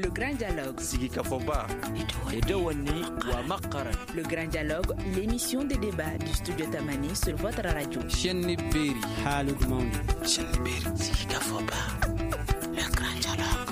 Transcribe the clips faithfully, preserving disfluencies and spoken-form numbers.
Le Grand Dialogue. Sigikafɔba. Le Grand Dialogue, l'émission de débat du studio Tamani sur votre radio. Chaîne Berry. Chaîne Berry. Sigikafɔba. Le Grand Dialogue.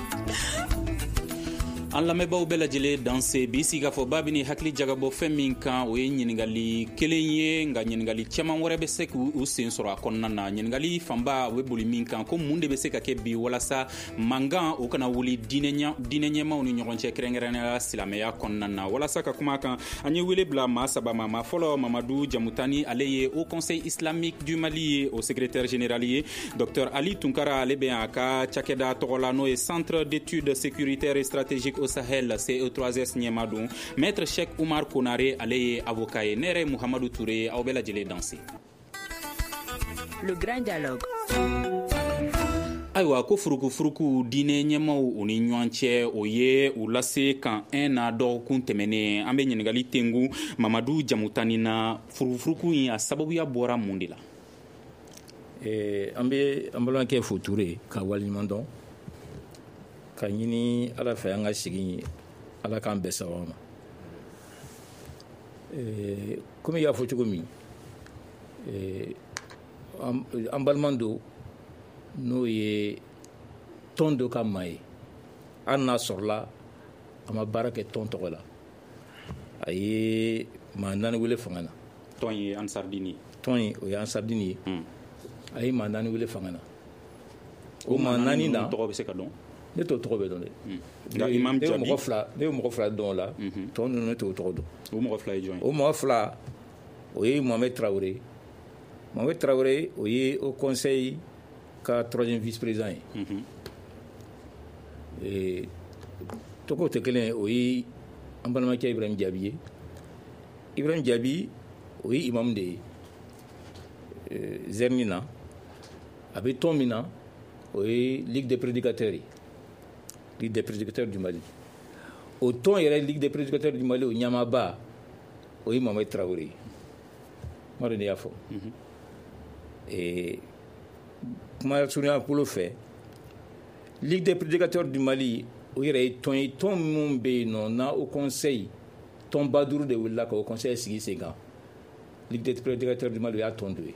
An lamɛnbaaw bɛɛ lajɛlen danse bi sigikafɔba bɛ ni hakili jagabɔ fɛn min kan, o ye ɲininkali kelen ye, nka ɲininkali caman wɛrɛ bɛ se k'u sen sɔrɔ a kɔnɔna na. Ɲininkali fanba o bɛ boli min kan, ko mun de bɛ se ka kɛ bi walasa mankan o kana wuli diinɛ ɲɛmaaw ni ɲɔgɔn cɛ, kɛrɛnkɛrɛnnenya la silamɛya kɔnɔna na. Walasa ka kuma kan, an ye wele bila maa saba ma. Maa fɔlɔ, Mamadu Jamutani, ale ye Haut Conseil islamique du Mali ye, o secrétaire général ye. Docteur Ali Tunkara, ale bɛ a ka cakɛda tɔgɔ la, n'o ye Centre d'études sécuritaires et stratégiques au Sahel, C E trois S ɲɛma don. Maître Cheikh Oumar Konare, ale ye avocat ye. Ne yɛrɛ ye Muhamadu Ture, aw bɛɛ lajɛlen danse. Le Grand Dialogue. Ayiwa, ko furukufuruku diinɛ ɲɛmaw u ni ɲɔgɔn cɛ, o ye u lase kan un na dɔgɔkun tɛmɛnen. An bɛ ɲininkali tengu Mamadu Jamutani na: furukufuruku in, a sababuya bɔra mun de la? An bɛ an balimakɛ fo, Ture, ka waleɲuman dɔn ka ɲini Ala fɛ, an ka sigi, Ala k'an bɛɛ sababu ma. Komi i y'a fɔ cogo min, an balima don, n'o ye tɔn dɔ ka maa ye, hali n'a sɔrɔla a ma baara kɛ tɔn tɔgɔ la, a ye maa naani wele fanga na. Tɔn ye Ansardini. Tɔn ye, o ye Ansardini ye. A ye maa naani wele fanga na. O maa naani na, tɔgɔ bɛ se ka dɔn? Ne t'o tɔgɔ bɛ dɔn dɛ. Nka Imam Jaabi, Jaabi mɔgɔ fila, ne ye mɔgɔ fila dɔn o la. Tɔ ninnu, ne t'o tɔgɔ dɔn. O mɔgɔ fila ye jɔn ye? O mɔgɔ fila, o ye Mohamed Traoré. Mohamed Traoré, o ye Haut Conseil ka troisième vice président ye. Tɔgɔw tɛ kelen ye. O ye an balimakɛ Ibrahim Jaabi ye. Ibrahim Jaabi, o ye imam de ye Zɛrini na. A bɛ tɔn min na, o ye Ligue des prédicateurs ye, Ligue des prédicateurs du Mali. O tɔn yɛrɛ, Ligue des prédicateurs du Mali, o ɲɛmaaba, o ye Mohamed Traoré ye. N m'a dɔn n'i y'a fɔ. Kuma surunya bolo fɛ, Ligue des prédicateurs du Mali, o yɛrɛ ye tɔn ye, tɔn minnu bɛ yen nɔ n'a Haut Conseil tɔnba duuru de wulila ka Haut Conseil sigi sen kan, Ligue des prédicateurs du Mali, o y'a tɔn dɔ ye.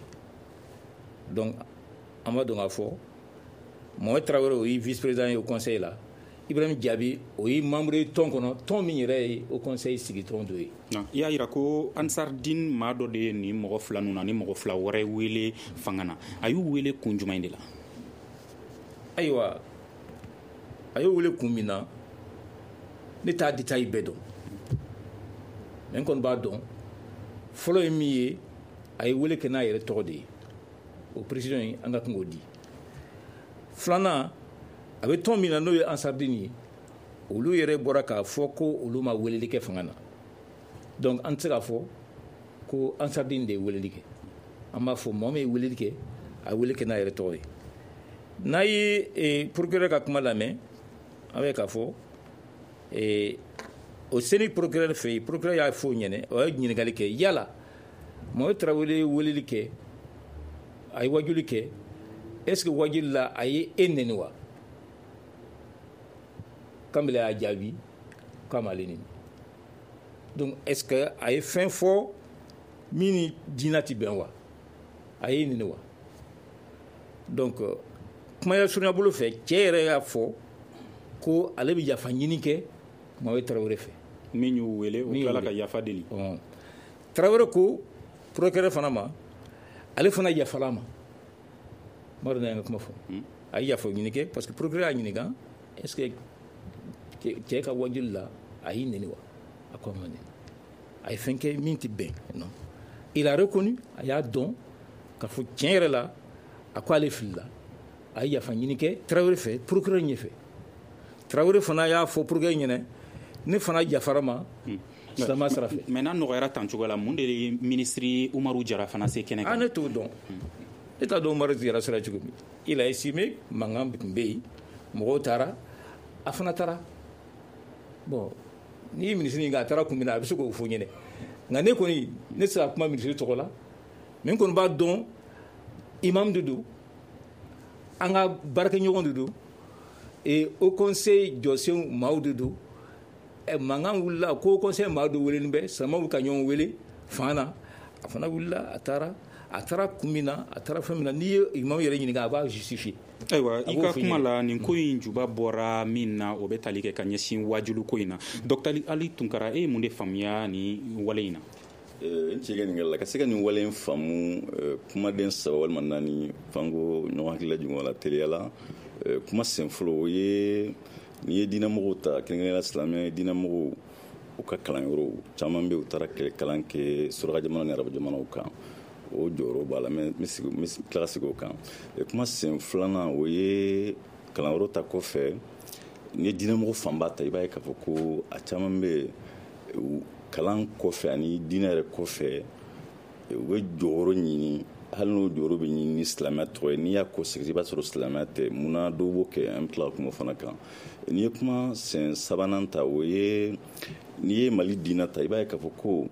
Donc an b'a dɔn k'a fɔ Mohamed Traoré, o ye vice président ye Haut Conseil la. Ibrahim Jaabi, o ye membre ye tɔn kɔnɔ, tɔn min yɛrɛ ye Haut Conseil sigi tɔn dɔ ye. I y'a yira ko Ansardine maa dɔ de ye nin mɔgɔ fila ninnu na ni mɔgɔ fila wɛrɛ wele fanga na. A y'u wele kun jumɛn de la? Ayiwa, a y'o wele kun min na, ne t'a détail bɛɛ dɔn, mais n kɔni b'a dɔn, fɔlɔ ye min ye, a ye wele kɛ n'a yɛrɛ tɔgɔ de ye. O précision in, an ka kan k'o di. Filanan, a bɛ tɔn min na, n'o ye Ansardine ye, olu yɛrɛ bɔra k'a fɔ ko olu ma weleli kɛ fanga na. Donc an tɛ se k'a fɔ ko Ansardine de ye weleli kɛ. An b'a fɔ mɔgɔ min ye weleli kɛ, a ye wele kɛ n'a yɛrɛ tɔgɔ ye. N'a ye procureur ka kuma lamɛn, an bɛ k'a fɔ o seni procureur fɛ yen, procureur y'a fɔ o ɲɛnɛ, o ye ɲininkali kɛ: yala Mohamed Traoré ye weleli kɛ, a ye wajuli kɛ, est ce que wajuli la, a ye e nɛni wa? Kanbele y'a jaabi k'a m'ale nɛni. Donc est ce que a ye fɛn fɔ min ni diinɛ ti bɛn wa? A ye nɛni wa? Donc kumaya surunya bolo fɛ, cɛ yɛrɛ y'a fɔ ko ale bɛ yafa ɲini kɛ Mohamed Traoré fɛ. Min y'u wele, o tilala ka yafa deli. Traoré ko procureur fana ma, ale fana yafala ma. N b'a dɔn ne y'an ka kuma fɔ. A ye yafa ɲini kɛ parce que procureur y'a ɲininka: est ce que cɛ ka wajuli la, a y'i nɛni wa? A ko a ma nɛni, a ye fɛn kɛ min tɛ bɛn. Non, il a reconnu, a y'a dɔn k'a fɔ tiɲɛ yɛrɛ la, a ko ale filila, a ye yafa ɲini kɛ Traoré fɛ procureur ɲɛfɛ. Traoré fana y'a fɔ procureur ɲɛna: ne fana yafara ma silamɛya sira fɛ. Mais n'a nɔgɔyara tan cogo la, mun de ye ministre Umaru Jara fana se kɛnɛ kan? Ah, ne t'o dɔn, ne t'a dɔn Umaru Jara sera cogo min. Il a estimé mankan tun bɛ yen, mɔgɔw taara, a fana taara. Bon, n'i ye ministre ɲininka a taara kun min na, a bɛ se k'o fɔ ɲɛnɛ. Nka ne kɔni, ne tɛ se ka kuma ministre tɔgɔ la, mais n kɔni b'a dɔn, imam de don, an ka baarakɛɲɔgɔn de don. Et Haut Conseil jɔsenw maaw de don. Mankan wulila ko Haut Conseil maa dɔ welelen bɛ, silamɛw ka ɲɔgɔn wele fanga na. A fana wulila, a taara a taara kun min na, a taara fɛn min na, n'i ye imam yɛrɛ ɲininka, a b'a justifier. Ayiwa, i ka kuma la, nin ko in juba bɔra min na, o bɛ tali kɛ ka ɲɛsin wajulu ko in na. Docteur Ali Tunkara, e ye mun de faamuya ni wale in na? N cɛ ka ɲininkali la, ka se ka nin wale in faamu, kumaden saba walima naani fanko ɲɔgɔn hakili lajigin la teliya la. Kuma sen fɔlɔ, o ye n'i ye diinɛmɔgɔw ta, kɛrɛnkɛrɛnnenya la silamɛ diinɛmɔgɔw, u ka kalanyɔrɔw caman bɛ, u taara kalan kɛ suraka jamana ni arabu jamanaw kan, o jɔyɔrɔ b'a la. N bɛ tila ka segin o kan. Kuma sen filanan, o ye kalanyɔrɔ ta kɔfɛ, n'i ye diinɛmɔgɔ fanba ta, i b'a ye k'a fɔ ko a caman bɛ kalan kɔfɛ ani diinɛ yɛrɛ kɔfɛ, u bɛ jɔyɔrɔ ɲini, hali n'o jɔyɔrɔ bɛ ɲini ni silamɛya tɔgɔ ye. N'i y'a ko sɛgɛsɛgɛ, i b'a sɔrɔ silamɛya tɛ. Munna dɔw b'o kɛ, an bɛ tila ka kuma o fana kan. N'i ye kuma sen sabanan ta, o ye n'i ye Mali diinɛ ta, i b'a ye k'a fɔ ko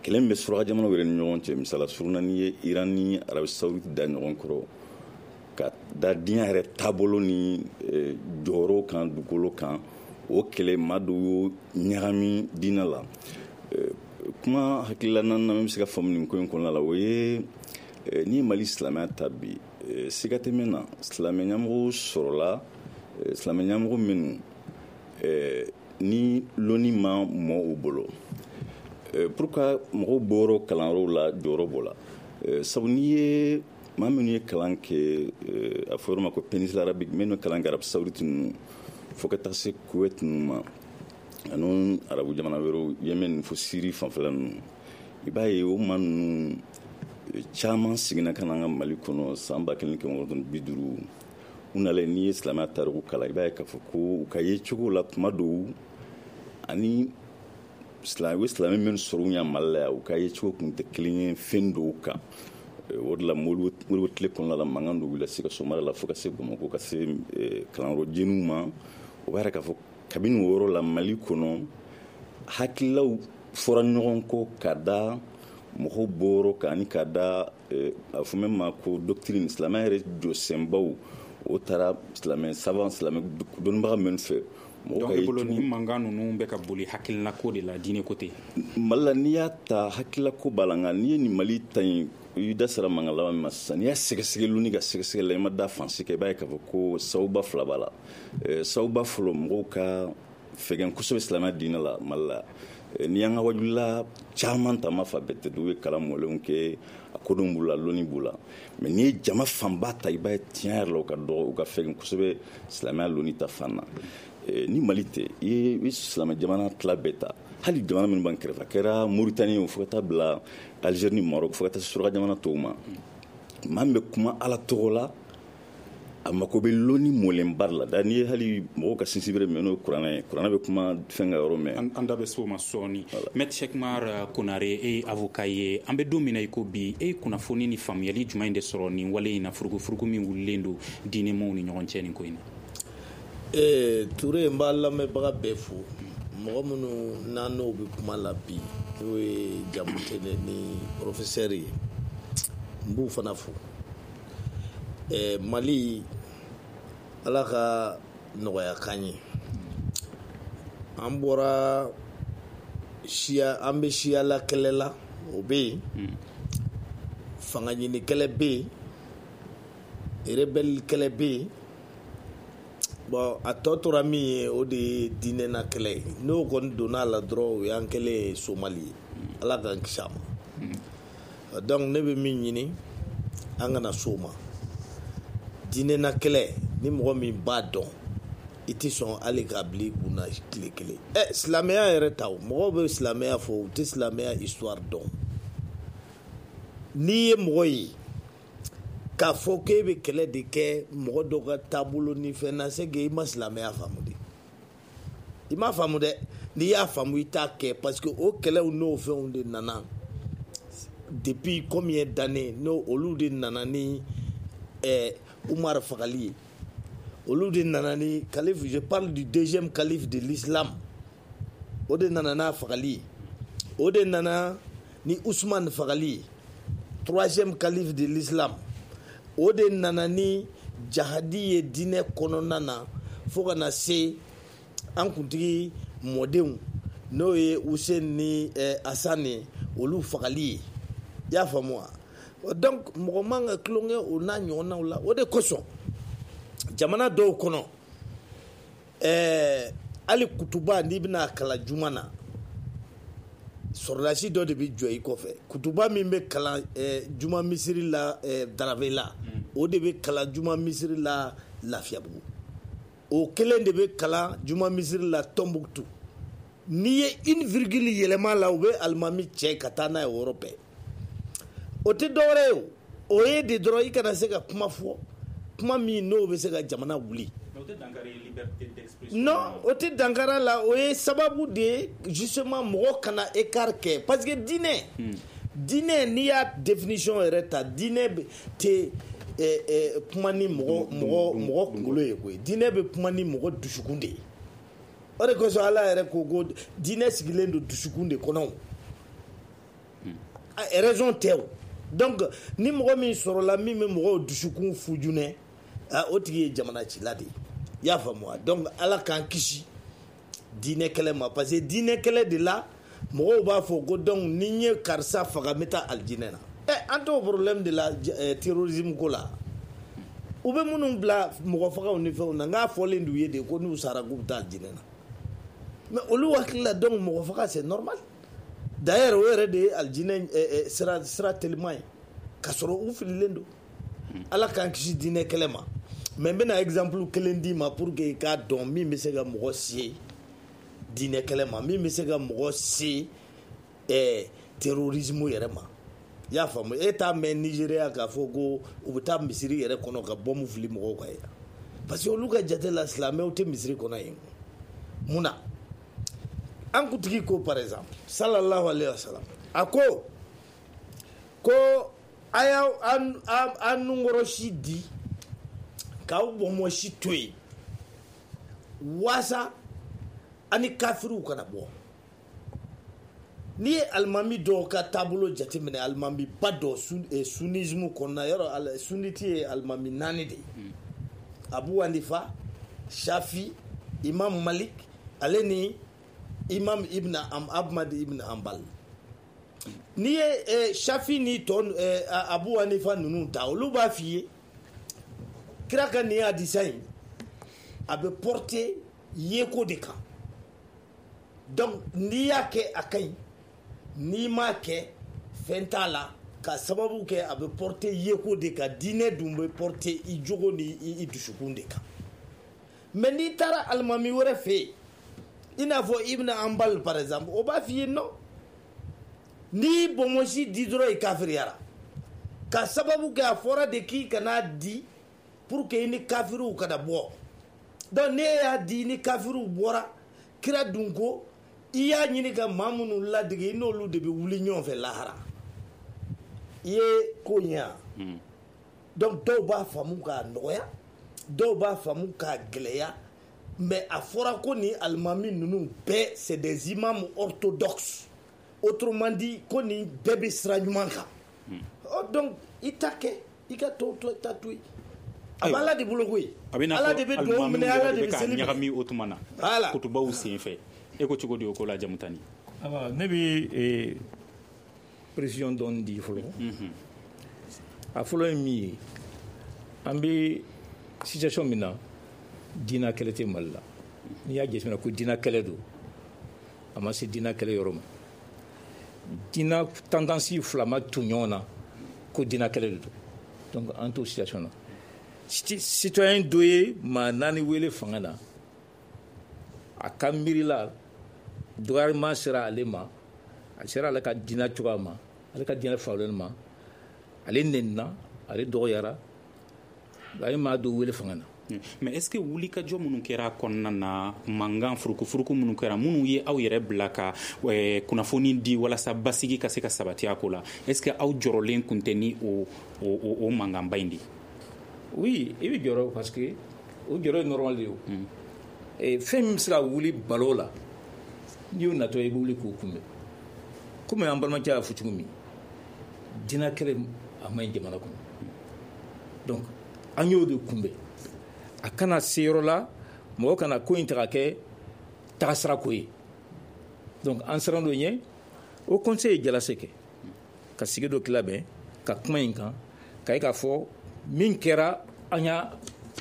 kɛlɛ min bɛ suraka jamanaw yɛrɛ ni ɲɔgɔn cɛ, misala surunna n'i ye Iran ni Arabi Saoudite da ɲɔgɔn kɔrɔ ka da diɲɛ yɛrɛ taabolo ni jɔyɔrɔ kan dugukolo kan, o kɛlɛ maa dɔw y'o ɲagami diinɛ la. Kuma hakilila naaninan min bɛ se ka faamu nin ko in kɔnɔna la, o ye n'i ye Mali silamɛya ta bi, siga tɛ min na, silamɛ ɲɛmɔgɔw sɔrɔla, silamɛ ɲɛmɔgɔ minnu ni lɔnni ma mɔ u bolo. Pourquoi mɔgɔw bɔyɔrɔ kalanyɔrɔw la jɔyɔrɔ b'o la? Sabu n'i ye maa minnu ye kalan kɛ, a fɔ yɔrɔ ma ko péninsule arabique, minnu ye kalan kɛ Arabi Saoudite ninnu fo ka taa se Kuwait ninnu ma, ani arabu jamana wɛrɛw, Yemen fo Syrie fanfɛla ninnu, i b'a ye o maa ninnu caman seginna ka na an ka Mali kɔnɔ san ba kelen kɛmɛ kɔnɔntɔn bi duuru. U nalen, n'i ye silamɛya tariku kalan, i b'a ye k'a fɔ ko u ka yecogo la kuma dɔw ani silamɛ u ye silamɛ minnu sɔrɔ u ɲɛ Mali la yan, u ka yecogo tun tɛ kelen ye fɛn dɔw kan. O de la Modibo tile kɔnɔna la, mankan dɔ wulila Sikaso mara la fo ka se Bamakɔ, ka se kalanyɔrɔ jeniw ma. O b'a yira k'a fɔ kabini o yɔrɔ la Mali kɔnɔ, hakililaw fɔra ɲɔgɔn kɔ ka da mɔgɔw bɔyɔrɔ kan, ani ka da a fɔ min ma ko doctrine, silamɛ yɛrɛ jɔsenbaw, o taara silamɛ savant, silamɛ dɔnnibaga minnu fɛ. Donc e bolo nin mankan ninnu bɛ ka boli hakilinako de la, diinɛ ko tɛ? Mali la, n'i y'a ta hakilinako b'a la, nka n'i ye nin Mali ta in, i da sera mankan laban min ma sisan, n'i y'a sɛgɛsɛgɛ lonni ka sɛgɛsɛgɛ la, i ma da fan si kan, i b'a ye k'a fɔ ko sababuba fila b'a la. Sababuba fɔlɔ, mɔgɔw ka fɛgɛn kosɛbɛ silamɛya diinɛ la Mali la. N'i y'an ka wajulila caman ta, ma fa bɛɛ tɛ, dɔw ye kalan mɔlenw kɛ, a kodɔn b'u la, lɔnni b'u la, mais n'i ye jama fanba ta, i b'a ye tiɲɛ yɛrɛ la, u ka dɔgɔ, u ka fɛgɛn kosɛbɛ silamɛya lɔnni ta fan na. Ni Mali tɛ, i ye silamɛ jamana tila bɛɛ ta, hali jamana minnu b'an kɛrɛfɛ, a kɛra Mauritanie, fo ka taa bila Algérie ni Maroc, fo ka taa suraka jamana tɔw ma, maa min bɛ kuma Ala tɔgɔ la, a mako bɛ lɔnni mɔlenba de la. Da n'i ye hali mɔgɔw ka sinsinbere min n'o ye kuranɛ ye, kuranɛ bɛ kuma fɛn ka yɔrɔ mɛn. An da bɛ s'o ma sɔɔni. Maître Cheick Oumar Konare, e ye avocat ye. An bɛ don min na i ko bi, e ye kunnafoni ni faamuyali jumɛn de sɔrɔ nin wale in na, furugufurugu min wulilen don diinɛmɔgɔw ni ɲɔgɔn cɛ nin ko in na? Ee Ture, n b'a lamɛnbaga bɛɛ fo, mɔgɔ minnu n'an n'o bɛ kuma la bi, n'o ye Jamutene ni professeur ye, n b'u fana fo. Ɛɛ Mali, Ala ka nɔgɔya k'an ye. An bɔra siya, an bɛ siyala kɛlɛ la, o bɛ yen, fanga ɲini kɛlɛ bɛ yen, rebelle kɛlɛ bɛ yen. Bon, a tɔ tora min ye, o de ye diinɛna kɛlɛ ye. N'o kɔni donna a la dɔrɔn, o y'an kɛlen ye Somali ye. Ala k'an kisi a ma. Donc ne bɛ min ɲini, an kana s'o ma. Diinɛna kɛlɛ, ni mɔgɔ min b'a dɔn, i tɛ sɔn hali k'a bila i kunna tile kelen. Ɛ silamɛya yɛrɛ ta, o mɔgɔw bɛ silamɛya fɔ, u tɛ silamɛya histoire dɔn. N'i ye mɔgɔ ye k'a fɔ k'e bɛ kɛlɛ de kɛ mɔgɔ dɔ ka taabolo ni fɛn na, c'est que i ma silamɛya faamu de. I m'a faamu dɛ. N'i y'a faamu, i t'a kɛ, parce que o kɛlɛw n'o fɛnw de nana depuis combien d'années, n'o olu de nana ni ɛɛ Umar fagali ye, olu de nana ni calife, je parle du deuxième calife de l'islam, o de nana n'a fagali ye, o de nana ni Ousmane fagali ye, troisième calife de l'islam, o de nana ni jahadi ye diinɛ kɔnɔna na. Fo ka na se an kuntigi mɔdenw n'o ye Hussein ni Hassan ye, olu fagali ye. I y'a faamu wa? Donc mɔgɔ man ka tulonkɛ o n'a ɲɔgɔnnaw la. O de kosɔn jamana dɔw kɔnɔ, ɛɛ hali kutuba n'i bɛna kalan juma na, sɔrɔdasi dɔ de bɛ jɔ i kɔfɛ. Kutuba min bɛ kalan ɛɛ juma misiri la ɛɛ Darabela, o de bɛ kalan juma misiri la Lafiyabugu, o kelen de bɛ kalan juma misiri la Tɔnbukutu. N'i ye une virgule yɛlɛma la, u bɛ alimami cɛ ka taa n'a ye o yɔrɔ bɛɛ. O tɛ dɔwɛrɛ ye, o o ye de dɔrɔn i kana se ka kuma fɔ, kuma min n'o bɛ se ka jamana wuli. Non, o tɛ dankari la, o ye sababu de ye justement mɔgɔ kana écart kɛ, parce que diinɛ diinɛ n'i y'a définition yɛrɛ ta, diinɛ tɛ kuma ni mɔgɔ mɔgɔ mɔgɔ kunkolo ye koyi. Diinɛ bɛ kuma ni mɔgɔ dusukun de ye. O de kosɔn Ala yɛrɛ ko ko diinɛ sigilen don dusukun de kɔnɔ, raison tɛ o. Donc ni mɔgɔ min sɔrɔla min bɛ mɔgɔw dusukun fujunɛ, o tigi ye jamana cila de ye. I y'a faamu wa? Donc Ala k'an kisi diinɛ kɛlɛ ma, parce que diinɛ kɛlɛ de la mɔgɔw b'a fɔ ko donc ni n ye karisa faga n bɛ taa alijinɛ na. Ɛ an t'o problème de la terrorisme ko la. U bɛ minnu bila mɔgɔ fagaw ni fɛnw na, n k'a fɔlen d'u ye de ko n'u sara k'u bɛ taa alijinɛ na. Mais olu hakili la donc mɔgɔ faga c'est normal. D'ailleurs o yɛrɛ de ye alijinɛ sira sira teliman ye, k'a sɔrɔ u fililen don. Ala k'an kisi diinɛ kɛlɛ ma. Mais n bɛna exemple kelen d'i ma pour que i k'a dɔn min bɛ se ka mɔgɔ se diinɛ kɛlɛ ma, min bɛ se ka mɔgɔ se ɛɛ terrorisme yɛrɛ ma. I y'a faamu? E t'a mɛn Nigéria k'a fɔ ko u bɛ taa misiri yɛrɛ kɔnɔ ka bɔmu fili mɔgɔw kan yen, parce que olu ka jate la silamɛw tɛ misiri kɔnɔ yen. Mun na? An kuntigi ko par exemple sallallahu alayhi wa sallam, a ko ko a y'aw an nunkɔrɔsi di k'aw bɔnbɔnsi to yen waasa ani kafiriw kana bɔ. N'i ye alimami dɔw ka taabolo jateminɛ, alimami ba dɔ sunnisme kɔnɔna, yɔrɔ sunniti ye alimami naani de ye: Abu Hanifa, Shafi, Imam Malik, ale ni Imam Ibn Ahmad Ibn Hanbal. N'i ye Shafi ni tɔ Abu Hanifa ninnu ta, olu b'a f'i ye kira ka nin hadisa in a bɛ porter yeko de kan. Donc n'i y'a kɛ a ka ɲi, n'i m'a kɛ fɛn t'a la, ka sababu kɛ a bɛ porter yeko de kan. Diinɛ dun bɛ porter i jogo ni i dusukun de kan. Mais n'i taara alimami wɛrɛ fɛ yen, i n'a fɔ Ibn Hanbal par exemple, o b'a f'i ye non, n'i bɔnbɔnsi di dɔrɔn i kafiriyara, ka sababu kɛ a fɔra de k'i kana di pour que i ni kafiriw kana bɔ. Donc n'e y'a di ni kafiriw bɔra, kira dun ko i y'a ɲini ka maa minnu ladege, i n'olu de bɛ wuli ɲɔgɔn fɛ lahara. I ye ko ɲɛ wa? Donc dɔw b'a faamu k'a nɔgɔya, dɔw b'a faamu k'a gɛlɛya. Mais a fɔra ko nin alimami ninnu bɛɛ c'est des imams orthodoxes, autrement dit ko nin bɛɛ bɛ sira ɲuman kan. Donc i ta kɛ, i ka tɔw ta to yen. A b'Ala de bolo koyi. Ala de bɛ dugawu minɛ, Ala de bɛ seli minɛ. Ɲagami o tuma na kutubaw sen fɛ, e ko cogo di o ko la Jamutani? Awa, ne bɛ précision dɔɔni di fɔlɔ. A fɔlɔ ye min ye, an bɛ situation min na, diinɛ kɛlɛ tɛ Mali la. N'i y'a jateminɛ ko diinɛ kɛlɛ don, a ma se diinɛ kɛlɛ yɔrɔ ma. Diinɛ tendance fila ma tu ɲɔgɔn na ko diinɛ kɛlɛ de don. Donc an t'o situation na. Citoyen dɔ ye maa naani wele fanga na, a ka miiri la dɔgɔyalima sera ale ma, a sera ale ka diinɛ cogoya ma, ale ka diinɛ faamuyali ma, ale nenina, ale dɔgɔyara, a ye maa dɔ wele fanga na. Mais est-ce que wulikajɔ minnu kɛra kɔnɔna na, mankan furukufuruku minnu kɛra, minnu ye aw yɛrɛ bila ka kunnafoni di walasa basigi ka se ka sabati a ko la, est-ce que aw jɔrɔlen kun tɛ ni o o o mankanba in de ye? Oui, i bɛ jɔrɔ, parce que o jɔrɔ ye normal de ye o. Fɛn min bɛ se ka wuli balo la, n'i y'o natɔ i bɛ wuli k'o kunbɛn. Komi an balimakɛ y'a fɔ cogo min, diinɛ kɛlɛ a man ɲi jamana kɔnɔ. Donc an y'o de kunbɛn. A kana se yɔrɔ la Mɔgɔ kana ko in ta ka kɛ tagasira ko ye. Donc an siran dɔ ɲɛ, Haut Conseil ye jalase kɛ ka sigi dɔ labɛn ka kuma in kan, ka ye k'a fɔ min kɛra an y'a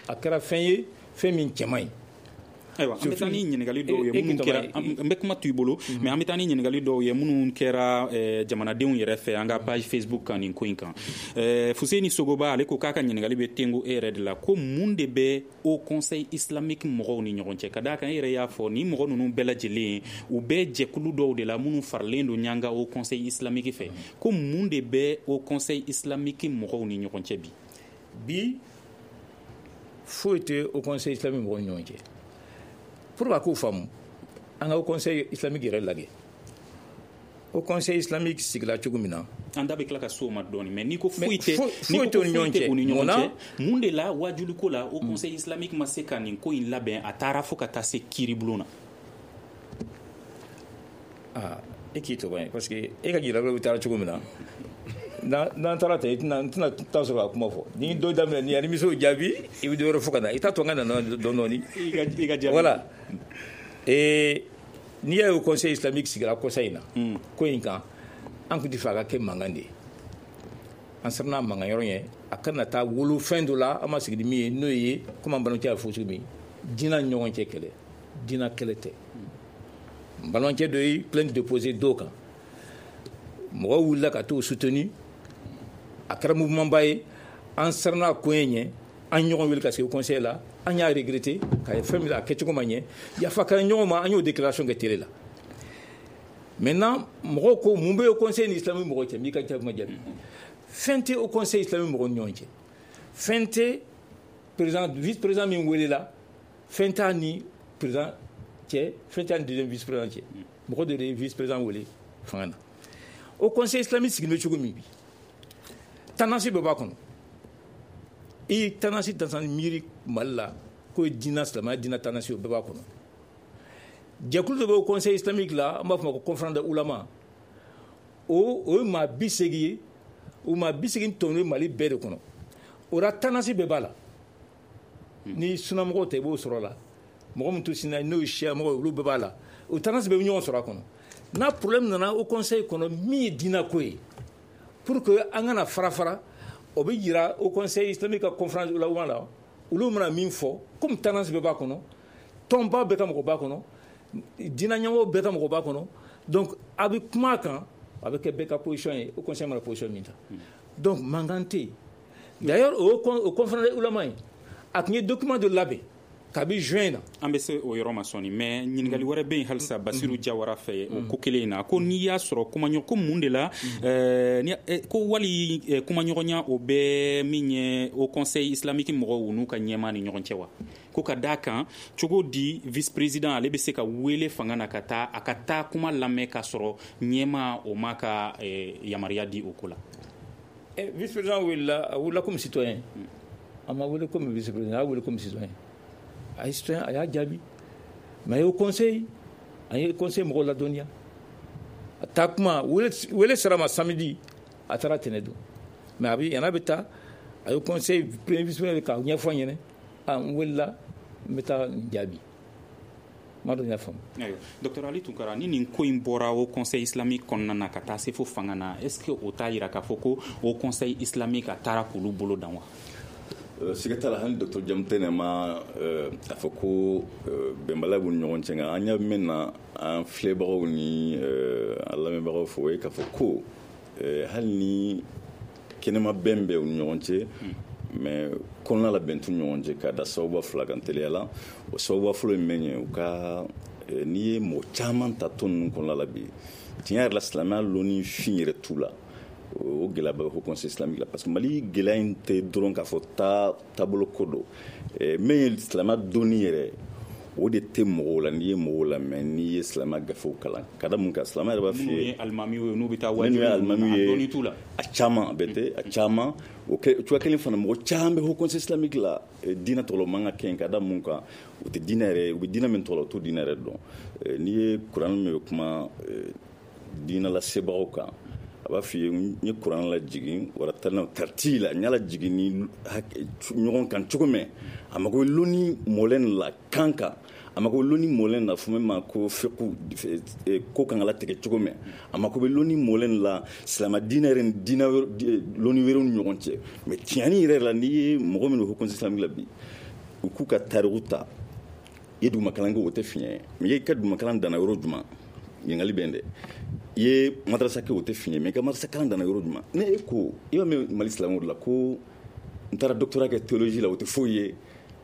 a kɛra fɛn ye, fɛn min cɛ man ɲi. Ayiwa, an bɛ taa ni ɲininkali dɔw ye minnu kɛra, n bɛ kuma to i bolo, mais an bɛ taa ni ɲininkali dɔw ye minnu kɛra jamanadenw yɛrɛ fɛ an ka page Facebook kan nin ko in kan. Fuseni Sogoba, ale ko k'a ka ɲininkali bɛ tengo e yɛrɛ de la, ko mun de bɛ Haut Conseil islamique mɔgɔw ni ɲɔgɔn cɛ? Ka d'a kan e yɛrɛ y'a fɔ, ni mɔgɔ ninnu bɛɛ lajɛlen u bɛ jɛkulu dɔw de la minnu faralen don ɲanga Haut Conseil islamique fɛ, ko mun de bɛ Haut Conseil islamique mɔgɔw ni ɲɔgɔn cɛ bi? Bi foyi tɛ Haut Conseil islamique mɔgɔw ni ɲɔgɔn cɛ. Pour ka k'o faamu, an ka Haut Conseil islamique yɛrɛ lajɛ. Haut Conseil islamique sigila cogo min na, an da bɛ tila ka s'o ma dɔɔni, mais n'i ko foyi tɛ foyi tɛ u ni ɲɔgɔn cɛ, u ni ɲɔgɔn cɛ, mun de la wajuliko la Haut Conseil islamique ma se ka nin ko in labɛn, a taara fo ka taa se kiiribulon na? Aa, e k'i tɔgɔ ye, parce que e ka ɲininkali bɛ taara cogo min na, n'an taara ten, i tɛna n tɛna taa sɔrɔ ka kuma fɔ. Ni dɔ daminɛ ni ani misiw jaabi, i bɛ dɔ wɛrɛ fɔ ka na, i t'a to n ka na dɔɔni dɔɔni. I ka jaabi. Voilà. Et n'i y'a ye Haut Conseil islamique sigira kɔsa in na, ko in kan, an tun tɛ fɛ a ka kɛ mankan de ye. An siranna mankan yɔrɔ ɲɛ, a kana taa wolo fɛn dɔ la an ma sigi ni min ye, n'o ye komi an balimakɛ y'a fɔ cogo min, diinɛ ni ɲɔgɔn cɛ kɛlɛ, diinɛ kɛlɛ tɛ. N balimakɛ dɔ ye plainte déposée dɔw kan, mɔgɔw wulila ka t'o soutenir, a kɛra mouvement ba ye. An siranna ko in ɲɛ, an ɲɔgɔn wele ka sigi conseil la, an y'a regretter k'a ye fɛn min a kɛcogo ma ɲɛ, yafa kɛra ɲɔgɔn ma, an y'o déclaration kɛ télé la. Maintenant mɔgɔw ko mun bɛ Haut Conseil ni islamique mɔgɔw cɛ? N'i ka jaabi ma jaabi, fɛn tɛ Haut Conseil islamique mɔgɔw ni ɲɔgɔn cɛ, fɛn tɛ président vice président min welela, fɛn t'a ni président cɛ, fɛn t'a ni deuxième vice président cɛ. Mɔgɔ dɔ de ye vice président wele fanga na. Haut Conseil islamique sigilen bɛ cogo min bi, tendance bɛɛ b'a kɔnɔ. I tendance tendance miiri Mali la k'o ye diinɛ silamɛya diinɛ tendance, o bɛɛ b'a kɔnɔ. Jɛkulu dɔ bɛ Haut Conseil islamique la, an b'a fɔ ma ko conférence des oulémas, o o ye maa bi seegin ye, o maa bi seegin tɔnɔ ye Mali bɛɛ de kɔnɔ. O la tendance bɛɛ b'a la. Ni sunamɔgɔw tɛ, i b'o sɔrɔ a la. Mɔgɔ min to sina n'o ye siya mɔgɔ ye, olu bɛɛ b'a la. O tendance bɛɛ bɛ ɲɔgɔn sɔrɔ a kɔnɔ. N'a problème nana Haut Conseil kɔnɔ min ye diinɛ ko ye, pour que an kana fara fara, o bɛ yira Haut Conseil islamique ka conférence ulama la, olu mana min fɔ, comme tendance bɛɛ b'a kɔnɔ, tɔnba bɛɛ ka mɔgɔ b'a kɔnɔ, diinɛ ɲɛmɔgɔ bɛɛ ka mɔgɔ b'a kɔnɔ, donc a bɛ kuma a kan, a bɛ kɛ bɛɛ ka position ye, Haut Conseil mana position min ta. Donc mankan tɛ yen. D'ailleurs o o conférence ulama in, a tun ye document dɔ labɛn kabi juin na. An bɛ se o yɔrɔ ma sɔɔni, mais ɲininkali wɛrɛ bɛ yen halisa Basiru Jawara fɛ o ko kelen in na, ko n'i y'a sɔrɔ kumaɲɔgɔn ko mun de la ko wali kumaɲɔgɔnya o bɛ min ye Haut Conseil islamique mɔgɔw n'u ka ɲɛmaa ni ɲɔgɔn cɛ wa? Ko ka d'a kan cogo di vice président ale bɛ se ka wele fanga na ka taa a ka taa kuma lamɛn k'a sɔrɔ ɲɛmaa o ma ka yamaruya di o ko la? Vice président welela, a welela comme citoyen, a ma wele comme vice président, a y'a wele comme citoyen. A ye citoyen, a y'a jaabi, mais a ye Haut Conseil, a ye conseil mɔgɔw ladɔnniya. A taa kuma wele sera ma samedi, a taara tɛnɛ don, mais a bɛ yan'a bɛ taa, a ye conseil premier vice président k'a ɲɛfɔ n ɲɛna, a n welela, n bɛ taa n jaabi. Ma dɔn y'a faamu. Ayiwa, docteur Ali Tunkara, ni nin ko in bɔra Haut Conseil islamique kɔnɔna na ka taa se fo fanga na, est ce que o t'a yira k'a fɔ ko Haut Conseil islamique a taara k'olu bolo dan wa? Siga t'a la, hali docteur Jamutɛnɛ ma a fɔ ko bɛnbaliya b'u ni ɲɔgɔn cɛ, nka an ɲɛ min na an filɛbagaw ni an lamɛnbagaw fɛ, o ye k'a fɔ ko hali ni kɛnɛma bɛn bɛ u ni ɲɔgɔn cɛ, mais kɔnɔna la bɛn t'u ni ɲɔgɔn cɛ, ka da sababuba fila kan teliya la. O sababuba fɔlɔ ye min ye, u ka n'i ye mɔgɔ caman ta tɔn ninnu kɔnɔna la bi, tiɲɛ yɛrɛ la silamɛya lɔnni fin yɛrɛ t'u la. O gɛlɛya bɛ Haut Conseil islamique la, parce que Mali gɛlɛya in tɛ dɔrɔn k'a fɔ taa taabolo ko don, min ye silamɛya dɔnni yɛrɛ, o de tɛ mɔgɔw la. N'i ye mɔgɔw lamɛn, n'i ye silamɛya gafew kalan, ka da mun kan, silamɛya yɛrɛ b'a f'i ye, minnu ye alimamiw ye, n'u bɛ taa wajibi, a dɔnni t'u la, a caman a bɛɛ tɛ, a caman o cogoya kelen fana, mɔgɔ caman bɛ Haut Conseil islamique la diinɛ tɔgɔ la, o man ka kɛ yen, ka da mun kan, u tɛ diinɛ yɛrɛ, u bɛ diinɛ min tɔgɔ la, u t'o diinɛ yɛrɛ dɔn. N'i ye kuranɛ min bɛ kuma diinɛ lasebagaw kan, A b'a f'i ye n ye kuran lajigin waratala tartila n y'a lajigin ni ɲɔgɔn kan cogo min, a mago bɛ lɔnni mɔlɛn la kan kan, a mago bɛ lɔnni mɔlɛn la fo min ma ko fiqhu ko kan ka latigɛ cogo min, a mago bɛ lɔnni mɔlɛn la silamɛ diinɛ yɛrɛ ni diinɛ lɔnni wɛrɛw ni ɲɔgɔn cɛ. Mais tiɲɛni yɛrɛ la, n'i ye mɔgɔ minnu Haut Conseil islamique la bi, u k'u ka tariku ta, i ye dugumakalan kɛ o tɛ fiɲɛ ye, mais i ka dugumakalan danna yɔrɔ jumɛn, ɲininkali bɛ yen dɛ. I ye madarasa kɛ o tɛ fiɲɛ, mais i ka madarasa kalan danna yɔrɔ jumɛn. Ne e ko i b'a mɛn Mali silamɛw de la ko n taara doctorat kɛ théologie la, o tɛ foyi ye,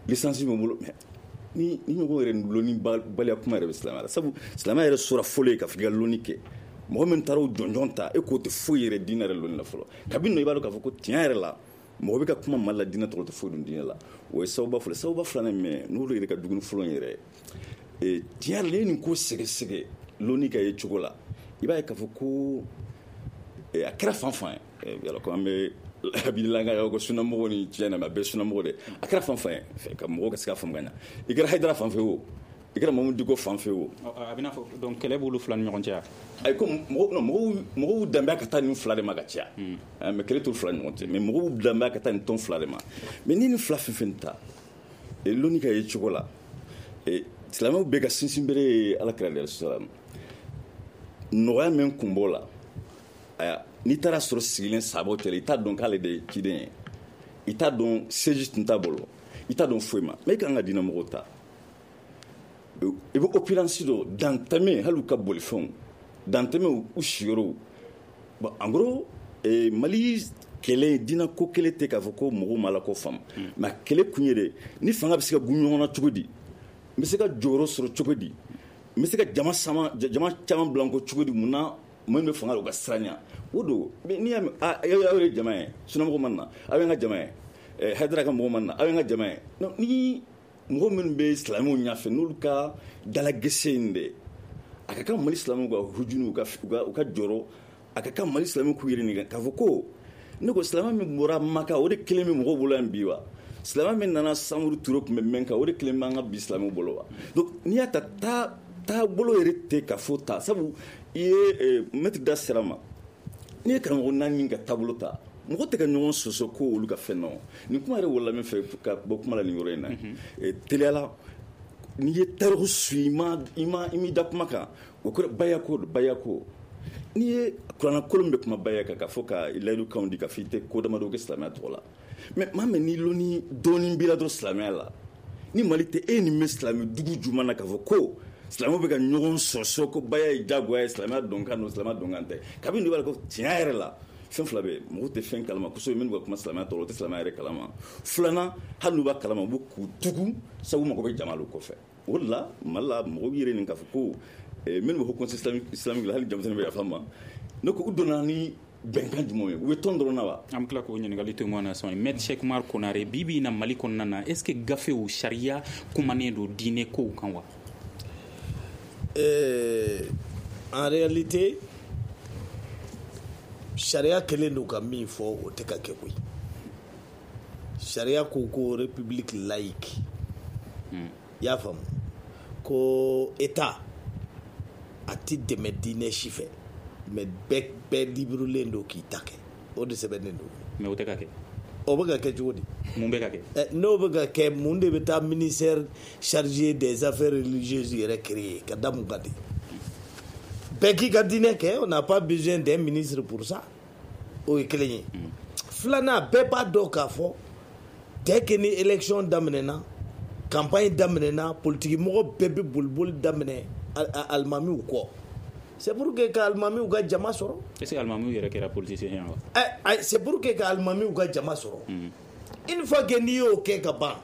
licence bɛ n bolo. Mais ni ni ɲɔgɔn yɛrɛ lɔnni baliya kuma yɛrɛ bɛ silamɛya la, sabu silamɛya yɛrɛ sora fɔlɔ ye ka fɔ k'i ka lɔnni kɛ. Mɔgɔ min taara o jɔnjɔn ta, e k'o tɛ foyi yɛrɛ diinɛ yɛrɛ lɔnni la fɔlɔ. Kabini nɔ i b'a dɔn k'a fɔ ko tiɲɛ yɛrɛ la mɔgɔ bɛ ka kuma Mali la diinɛ tɔgɔ tɛ foyi dun diinɛ la. O ye sababuba fɔlɔ. Sababuba filanan min n'olu yɛrɛ ka dumuni fɔlɔ yɛrɛ, tiɲɛ yɛrɛ la, e nin ko sɛgɛsɛgɛ lɔnni ka ye cogo la, i b'a ye k'a fɔ ko a kɛra fan fan ye, yala ko an bɛ habililanga ko sunamɔgɔ ni tiɲɛ na, mais a bɛɛ sunamɔgɔ de, a kɛra fan fan ye ka mɔgɔ ka se ka faamu ka ɲa. I kɛra Hayidara fan fɛ o, i kɛra Mamudu Diko fan fɛ o, a bɛ n'a fɔ donc kɛlɛ b'olu fila ni ɲɔgɔn cɛ. Ayi, ko mɔgɔw mɔgɔw mɔgɔw danbeya ka taa nin fila de ma ka caya, mais kɛlɛ t'olu fila ni ɲɔgɔn cɛ, mais mɔgɔw danbeya ka taa nin tɔn fila de ma. Mais ni nin fila fɛn fɛn ta lɔnni ka ye cogo la, silamɛw bɛɛ ka sinsin bere ye Ala kira de salam. Nɔgɔya min kun b'o la, aya n'i taara sɔrɔ sigilen sabaw cɛla, i t'a dɔn k'ale de ye ciden ye, i t'a dɔn siège tun t'a bolo, i t'a dɔn foyi ma. Mais i kan ka diinɛ mɔgɔw ta, i bɛ opulence dɔ dantɛmɛ, hali u ka bolifɛnw dantɛmɛ u siyɔrɔw. Bon, en gros, Mali kɛlɛ diinɛ ko kɛlɛ tɛ k'a fɔ ko mɔgɔw ma Ala ko faamu, mais kɛlɛ kun ye de ni fanga bɛ se ka gun ɲɔgɔn na cogo di, n bɛ se ka jɔyɔrɔ sɔrɔ cogo di, n bɛ se ka jama sama jama caman bila n kɔ cogo di, mun na minnu bɛ fanga la u ka siran ɲɛ. O don n'i y'a mɛn aw ye jama ye, sunamɔgɔ ma na, aw ye n ka jama ye, Hayidara ka mɔgɔ ma na, aw ye n ka jama ye. Ni mɔgɔ minnu bɛ silamɛw ɲɛfɛ n'olu ka dalagɛsɛ in dɛ, a ka kan Mali silamɛw ka hujunu, u ka u ka jɔrɔ, a ka kan Mali silamɛw k'u yɛrɛ ɲininka k'a fɔ ko ne ko silamɛ min bɔra Maka o de kelen bɛ mɔgɔw bolo yan bi wa, silamɛ min nana Samuru Ture tun bɛ min kan o de kelen b'an ka bi silamɛw bolo wa. Donc n'i y'a ta taa taabolo yɛrɛ tɛ ka fɔ ta, sabu i ye mɛtiri da sira ma, n'i ye karamɔgɔ naani ka taabolo ta, mɔgɔ tɛ ka ɲɔgɔn sɔsɔ ko olu ka fɛn nɔ. Nin kuma yɛrɛ wolola min fɛ ka bɔ kuma la nin yɔrɔ in na, teliyala n'i ye tariku su i ma i ma i m'i da kuma kan, o kɔrɔ bayako bayako. N'i ye kuranna kolon bɛ kuma baya kan k'a fɔ ka layidukanw di ka fɔ i tɛ ko damadɔ kɛ silamɛya tɔgɔ la, mais maa min n'i lɔnni dɔɔnin b'i la dɔrɔn silamɛya la, ni Mali tɛ e nin bɛ silamɛ dugu jumɛn na k'a fɔ ko silamɛw bɛ ka ɲɔgɔn sɔsɔ ko baya ye diyagoya ye, silamɛya dɔnkan don, silamɛya dɔnkan tɛ. Kabini b'a la ko tiɲɛ yɛrɛ la fɛn fila bɛ mɔgɔw tɛ fɛn kalama kosɛbɛ, minnu ka kuma silamɛya tɔgɔ la, u tɛ silamɛya yɛrɛ kalama. Filanan, hali n'u b'a kalama, u bɛ k'u tugu sabu mago bɛ jama kɔfɛ. O de la Mali la mɔgɔw yɛrɛ nin k'a fɔ ko minnu bɛ Haut Conseil islamique la, hali denmisɛnnin bɛ yafa n ma, ne ko u donna ni bɛnkan jumɛn ye, u bɛ tɔn dɔrɔn na wa? An bɛ tila k'o ɲininkali to ɲɔgɔn na sɔn. Maître Cheikh Oumar Konare, bi bi in na Mali kɔnɔna na, est ce que gafew sariya kumanen don diinɛ kow kan wa? Euh, en réalité, sariya kelen don ka min fɔ o tɛ ka kɛ koyi. Sariya ko ko république laïque, i y'a faamu, ko état a ti dɛmɛ diinɛ si fɛ, mais bɛɛ bɛɛ librelen don k'i ta kɛ, o de sɛbɛnnen don. Mais o tɛ ka kɛ. O bɛ ka kɛ cogo di? Mun bɛ ka kɛ? N'o bɛ ka kɛ, mun de bɛ taa ministère chargé des affaires religieuses yɛrɛ créer ka da mun kan de? Bɛɛ k'i ka diinɛ kɛ, on n'a pas besoin d'un ministre pour ça. O ye kelen ye. Filanan, bɛɛ b'a dɔn k'a fɔ dès que ni élection daminɛna, campagne daminɛna, politique mɔgɔ bɛɛ bɛ boliboli daminɛ alimamiw kɔ. C'est pour que ka alimamiw ka jama sɔrɔ. Est-ce que alimamiw yɛrɛ kɛra politicien ye wa? Ɛ, c'est pour que ka alimamiw ka jama sɔrɔ. Une fois que n'i y'o kɛ ka ban,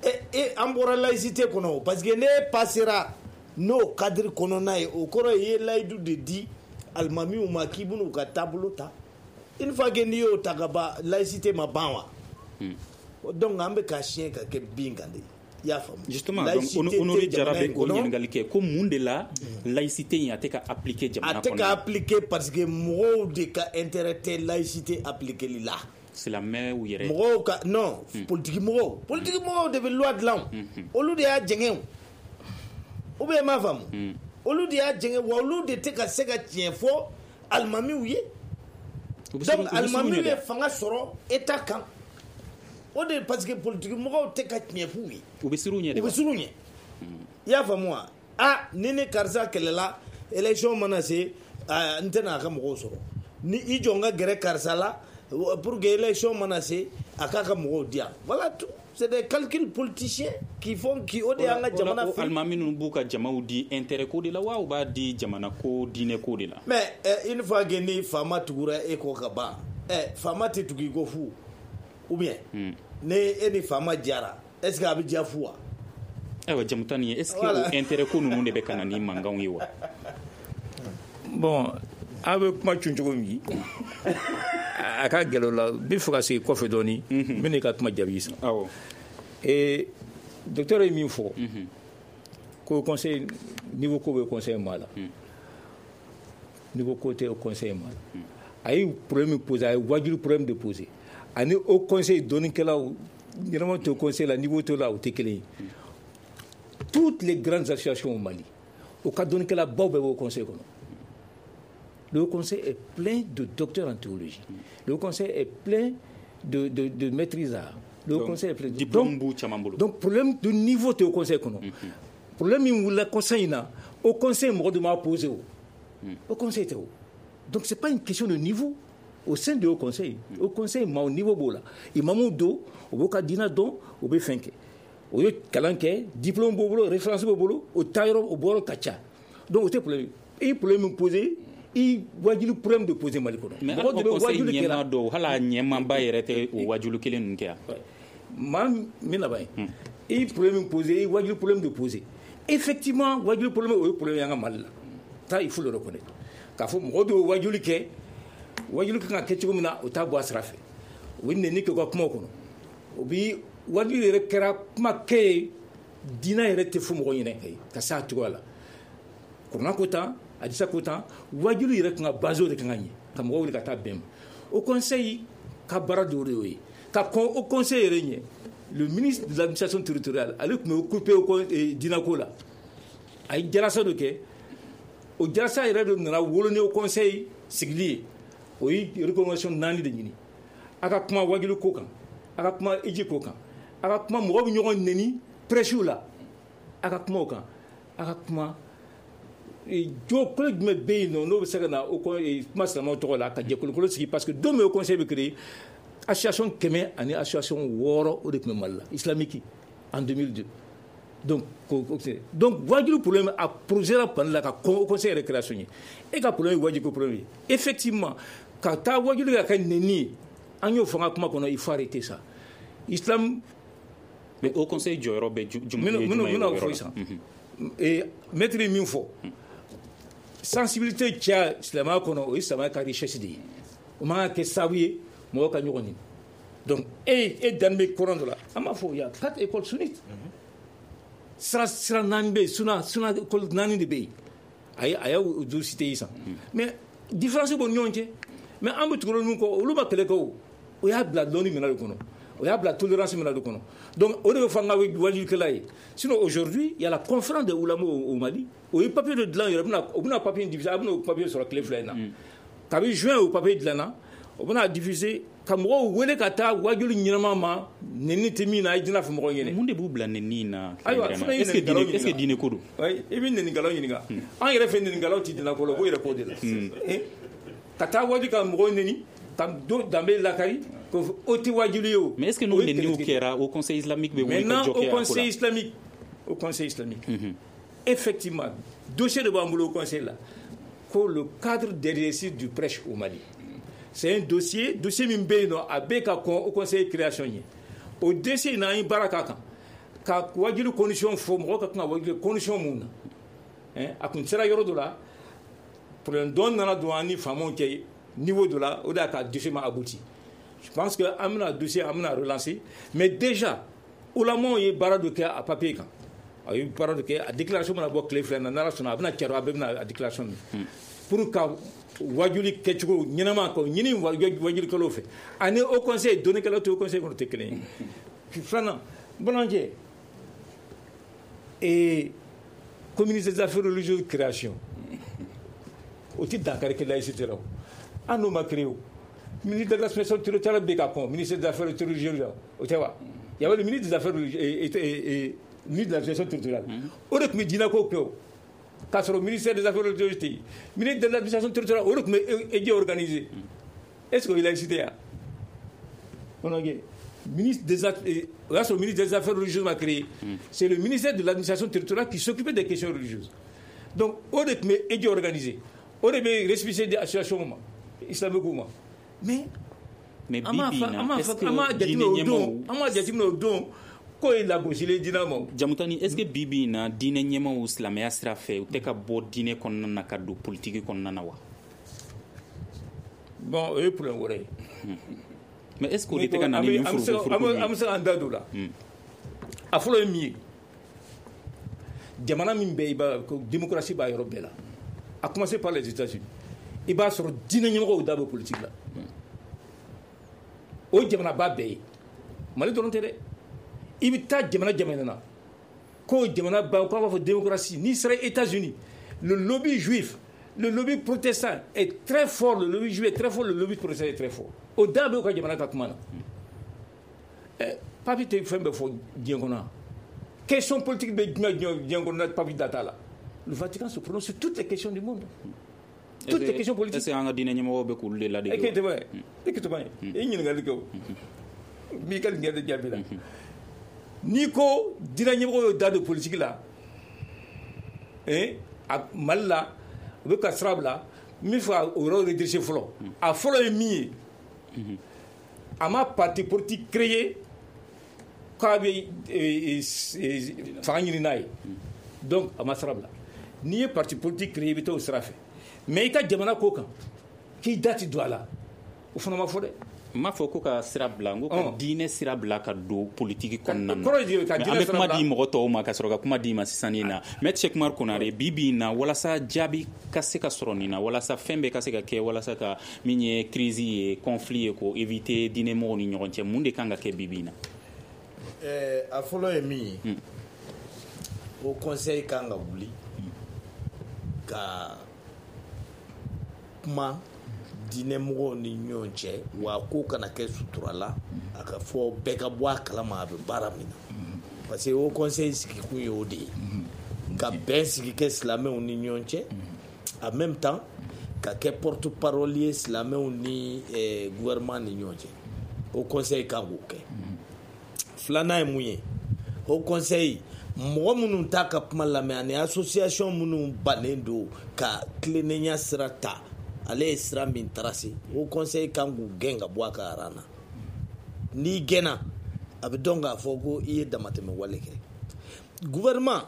e e an bɔra laïcité kɔnɔ, parce que n'e passera n'o cadre kɔnɔna ye, o kɔrɔ ye i ye layidu de di alimamiw ma k'i bɛn'u ka taabolo ta. Une fois que n'i y'o ta ka ban, laïcité ma ban wa? Donc an bɛ ka siɲɛ ka kɛ bin kan de. I y'a faamu. Justement, donc Honoré Jara bɛ o ɲininkali kɛ ko mun de la laïcité in a tɛ ka appliquer jamana kɔnɔ? A tɛ ka appliquer parce que mɔgɔw de ka intérêt tɛ laïcité appliquer la. Silamɛw yɛrɛ. Mɔgɔw ka non, politique mɔgɔw, politique mɔgɔw de bɛ loi dilan o, olu de y'a jɛngɛ o. Ou bien m'a faamu. Olu de y'a jɛngɛ wa, olu de tɛ ka se ka tiɲɛ fɔ alimamiw ye. Donc alimami bɛ fanga sɔrɔ État kan. O de parce que politique mɔgɔw tɛ ka tiɲɛ f'u ye. U bɛ siran u ɲɛ de. U bɛ siran u ɲɛ. I y'a faamu wa? Ah, ni ne karisa kɛlɛla, élection mana se, n tɛna a ka mɔgɔw sɔrɔ. Ni i jɔ n ka gɛrɛ karisa la pour que élection mana se, a k'a ka mɔgɔw di yan. Voilà tout. C'est des calculs politiciens qui font qui o de y'an ka jamana fili. Alimami ninnu b'u ka jamaw di intérêt ko de la wa u b'a di jamana ko diinɛ ko de la. Mais une fois que ni faama tugura e kɔ ka ban, ɛ faama tɛ tugu i kɔ fu ou bien ni e ni faama jara, est-ce que a bɛ diya fu wa? Ayiwa Jamutani, est-ce que o intérêt ko ninnu de bɛ ka na ni mankanw ye wa? Bon, a bɛ kuma cun cogo min, a ka gɛlɛ o la, n bɛ fɛ ka segin kɔfɛ dɔɔni, n bɛ n'i ka kuma jaabi sisan. Awɔ. Ee docteur ye min fɔ, ko conseil niveau ko bɛ conseil ma la, niveau ko tɛ conseil ma la. A ye problème min posé, a ye wajulu problème de posé. Ani au conseil dɔnnikɛlaw ɲɛnama tɛ conseil la, niveau t'o la, o tɛ kelen ye. Toutes les grandes associations au Mali, au cas dɔnnikɛla baw bɛɛ b'o conseil kɔnɔ. Le Haut Conseil est plein de docteurs en théologie. Le Haut Conseil est plein de, de, de maîtrisards. Le Haut Conseil est plein de diplôme. Donc, donc problème de niveau au Conseil. Mm-hmm. Problème où le Conseil n'a, au Conseil mɔgɔ de m'a posé au. Au Conseil tɛ o. Donc c'est pas une question de niveau au sein du Haut Conseil. Au Conseil ma au niveau b'o la. Imamu do, o b'o ka diinɛ dɔn, o bɛ fɛn kɛ. O ye kalan kɛ, diplôme b'o bolo, référence b'o bolo, o taayɔrɔ o bɔyɔrɔ ka ca. Donc o tɛ problème. I problème min posé, i wajulu problème de poser Mali kɔnɔ. Mais hali o conseil ɲɛmaa dɔw, hali a ɲɛmaaba yɛrɛ tɛ o wajulu kelen ninnu kɛ yan. Maa min laban ye, i problème min posé, i wajulu problème de poser. Effectivement, wajulu problème o ye problème ye an ka Mali la. Ça, il faut le reconnaître. K'a fɔ mɔgɔ dɔw ye wajulu kɛ, wajulu kan ka kɛ cogo min na, o t'a bɔ a sira fɛ. U bɛ nɛni kɛ u ka kumaw kɔnɔ. O bi wajulu yɛrɛ kɛra kuma kɛ ye, diinɛ yɛrɛ tɛ fɔ mɔgɔ ɲɛna ka se a cogoya la. Kuranɛ ko tan, hadisa ko tan, wajulu yɛrɛ kan ka base o de kan ka ɲɛ ka mɔgɔw wuli ka taa bɛn ma. O conseil ka baara dɔ de y'o ye. Ka kɔn o conseil yɛrɛ ɲɛ, le ministre de l'administration territoriale, ale tun bɛ occupé o diinɛko la. A ye jalasa dɔ kɛ, o jalasa yɛrɛ de nana wolo ni o conseil sigili ye. O ye recommandation naani de ɲini. A ka kuma wajulu ko kan, a ka kuma hiji ko kan, a ka kuma mɔgɔ bɛ ɲɔgɔn nɛni prêche la, a ka kuma o kan, a ka kuma jo kolo jumɛn bɛ yen nɔ n'o bɛ se ka na o kuma silamɛw tɔgɔ la ka jɛkulukolo sigi, parce que don min o conseil bɛ créer, association kɛmɛ ani association wɔɔrɔ o de tun bɛ Mali la islamique en deux mille deux. Donc donc wajulu problème a posé la panne la ka kɔn o conseil yɛrɛ création ye. E ka problème ye wajulu problème ye. Effectivement, ka taa wajulu ka kɛ nɛni ye, an y'o fɔ an ka kuma kɔnɔ, il faut arrêter ça. Islam. Mais o conseil jɔyɔrɔ bɛ jumɛn ye? N bɛna o fɔ sisan. Et maître ye min fɔ, sensibilité caya silamɛya kɔnɔ, o ye silamɛya ka richesse de ye. O man ka kɛ sababu ye mɔgɔw ka ɲɔgɔn ɲini. Donc e e danni bɛ coran dɔ la, an b'a fɔ il y a quatre écoles sunnites. Sira sira naani bɛ yen, suna suna école naani de bɛ yen. A ye a y'o duuru cité sisan. Mais différence b'u ni ɲɔgɔn cɛ. Mais an bɛ tugu olu kɔ, olu ma kɛlɛ kɛ o. O y'a bila dɔnni minɛn de kɔnɔ. O y'a bila tolérance minɛn de kɔnɔ. Donc o de bɛ fɔ an ka wajulikɛla ye. Sinon aujourd'hui, il y a la conférence des oulamas au, au Mali. O ye papier de dilan yɛrɛ, o bɛna papier diffuser, a bɛna o papier sɔrɔ tile fila in na. Kabi juin o papier dilanna, o bɛna diffuser ka mɔgɔw wele ka taa wajulu ɲɛnama ma, nɛni tɛ min na, a ye diinɛ fɔ mɔgɔw ɲɛna. Mun de b'u bila nɛni na? Ayiwa, fana ye nɛnikɛlaw ɲininka. Est-ce que diinɛ ko don? Oui, i bɛ nɛnikɛlaw ɲininka. An yɛrɛ fɛ nɛnikɛlaw tɛ diinɛ ko la, u b'u yɛrɛ ko de la. Ka taa waju ka mɔgɔw nɛni, ka danbe lakari, o tɛ wajulu ye o. Mais est-ce que n'o nɛniw kɛra, au conseil islamique bɛ wuli ka jɔ kɛ a ko la? Maintenant, au conseil islamique, au conseil islamique, effectivement, dossier de b'an bolo au conseil là, ko le cadre d'exercice du prêche au Mali. C'est un dossier, dossier min bɛ yen nɔ, a bɛ ka kɔn au conseil création ye. O dossier in na, an ye baara k'a kan, ka wajulu condition fɔ mɔgɔw ka kan ka wajulu condition mun na. A kun sera yɔrɔ dɔ la, problème dɔ nana don an ni faamaw cɛ niveau dɔ la, o de y'a ka dossier ma abouti. Je pense que an bɛna dossier, an bɛna relancer, mais déjà ulamaw ye baara dɔ kɛ a papier kan. A ye baara dɔ kɛ, a déclaration bɛna bɔ tile fila in na, n'Ala sɔnna a bɛna cari, a bɛɛ bɛna a déclaration min pour ka wajuli kɛcogo ɲɛnama k'o ɲini wajulikɛlaw fɛ, ani au conseil dɔnnikɛlaw tɛ au conseil kɔnɔ tɛ kelen ye. Filanan, bamanankɛ, ee communauté des affaires religieuses création, o tɛ dankari kɛ laïcité la o, hali n'o ma créé o. Ministre de l'administration territoriale bɛ ka kɔn ministre des affaires religieuses o tɛ wa? Il y avait le ministre des affaires religieuses et, et, et ministre de l'administration territoriale. O de tun bɛ diinɛko kɛ o. K'a sɔrɔ ministère des affaires religieuses tɛ yen. Ministre de l'administration territoriale o de tun bɛ E J organisé. Est-ce que o ye laïcité ya? Ministre des o y'a sɔrɔ ministre des affaires religieuses ma créé. C'est le ministère de l'administration territoriale qui s'occupait des questions religieuses. Donc o de tun bɛ E J organisé. O de bɛ récépissé di association ma islamique ma. Mais mais bi bi na est-ce que diinɛ ɲɛmaaw an m'a jateminɛ o don k'o ye lagosili diinɛ ma. Jamutani, est-ce que bi bi in na diinɛ ɲɛmaaw silamɛya sira fɛ u tɛ ka bɔ diinɛ kɔnɔna na ka don politiki kɔnɔna na wa? Bon, o ye problème wɛrɛ ye. Mais est-ce que o de tɛ ka na ni nin furuku-furuku ye? An bɛ se k'an da don o la. A fɔlɔ ye min ye, jamana min bɛ i b'a ko démocratie b'a yɔrɔ bɛɛ la, à commencer par les États-Unis, i b'a sɔrɔ diinɛ ɲɛmɔgɔw da bɛ politique la. O jamanaba bɛɛ ye, Mali dɔrɔn tɛ dɛ. I bɛ taa jamana jamana na ko jamana ba k'a b'a fɔ démocratie, n'i sera États-Unis, le lobby juif, le lobby protestant est très fort, le lobby juif est très fort, le lobby protestant est très fort. O da bɛ u ka jamana ka kuma na. Ɛ papi tɛ fɛn bɛɛ fɔ diɲɛ kɔnɔ. Question politique bɛ jumɛn diɲɛ kɔnɔ papi da t'a la. Le Vatican se prononce sur toutes les questions du monde. Toutes les questions politiques. Est-ce que an ka diinɛ ɲɛmɔgɔw bɛ k'olu de ladege? E k'e tɛ ye, e k'e tɛ ye, e ɲininkali kɛ o. N b'i ka ɲininkali jaabi la. N'i ko diinɛ ɲɛmɔgɔw y'o da don politique la, eh, a Mali la, u bɛ ka sira bila n bɛ fɛ ka o yɔrɔ redresser fɔlɔ. A fɔlɔ ye min ye, a ma parti politique créé k'a bɛ fanga ɲini n'a ye. Donc a ma sira bila. N'i ye parti politique créé i bɛ taa o sira fɛ. Mais i ka jamana ko kan k'i da ti don a la, o fana ma fɔ dɛ. N m'a fɔ ko ka sira bila, n ko ka diinɛ sira bila ka don politiki kɔnɔna na. Kɔrɔ ye ka diinɛ sira bila. An bɛ kuma di mɔgɔ tɔw ma ka sɔrɔ ka kuma di ma sisan nin na. Maître Cheick Oumar Konare, bi bi in na walasa jaabi ka se ka sɔrɔ nin na, walasa fɛn bɛɛ ka se ka kɛ, walasa ka min ye crise ye, conflit ye, k'o éviter diinɛ mɔgɔw ni ɲɔgɔn cɛ, mun de kan ka kɛ bi bi in na? Ɛɛ a fɔlɔ ye min ye, o conseil kan ka wuli ka kuma diinɛmɔgɔw ni ɲɔgɔn cɛ, wa ko kana kɛ sutura la, a ka fɔ bɛɛ ka bɔ a kalama a bɛ baara min na. Parce que o conseil sigikun ye o de ye, ka bɛn sigi kɛ silamɛw ni ɲɔgɔn cɛ, en même temps ka kɛ porte parole ye silamɛw ni eh, gouvernement ni ɲɔgɔn cɛ. O conseil kan k'o kɛ. Filanan ye mun ye, o conseil mɔgɔ minnu t'a ka kuma lamɛn ani association minnu bannen don ka tilennenya sira ta, ale ye sira min tracé, o conseil kan k'u gɛn ka bɔ a ka aran na. N'i gɛnna, a bɛ dɔn k'a fɔ ko i ye damatɛmɛ wale kɛ. Gouvernement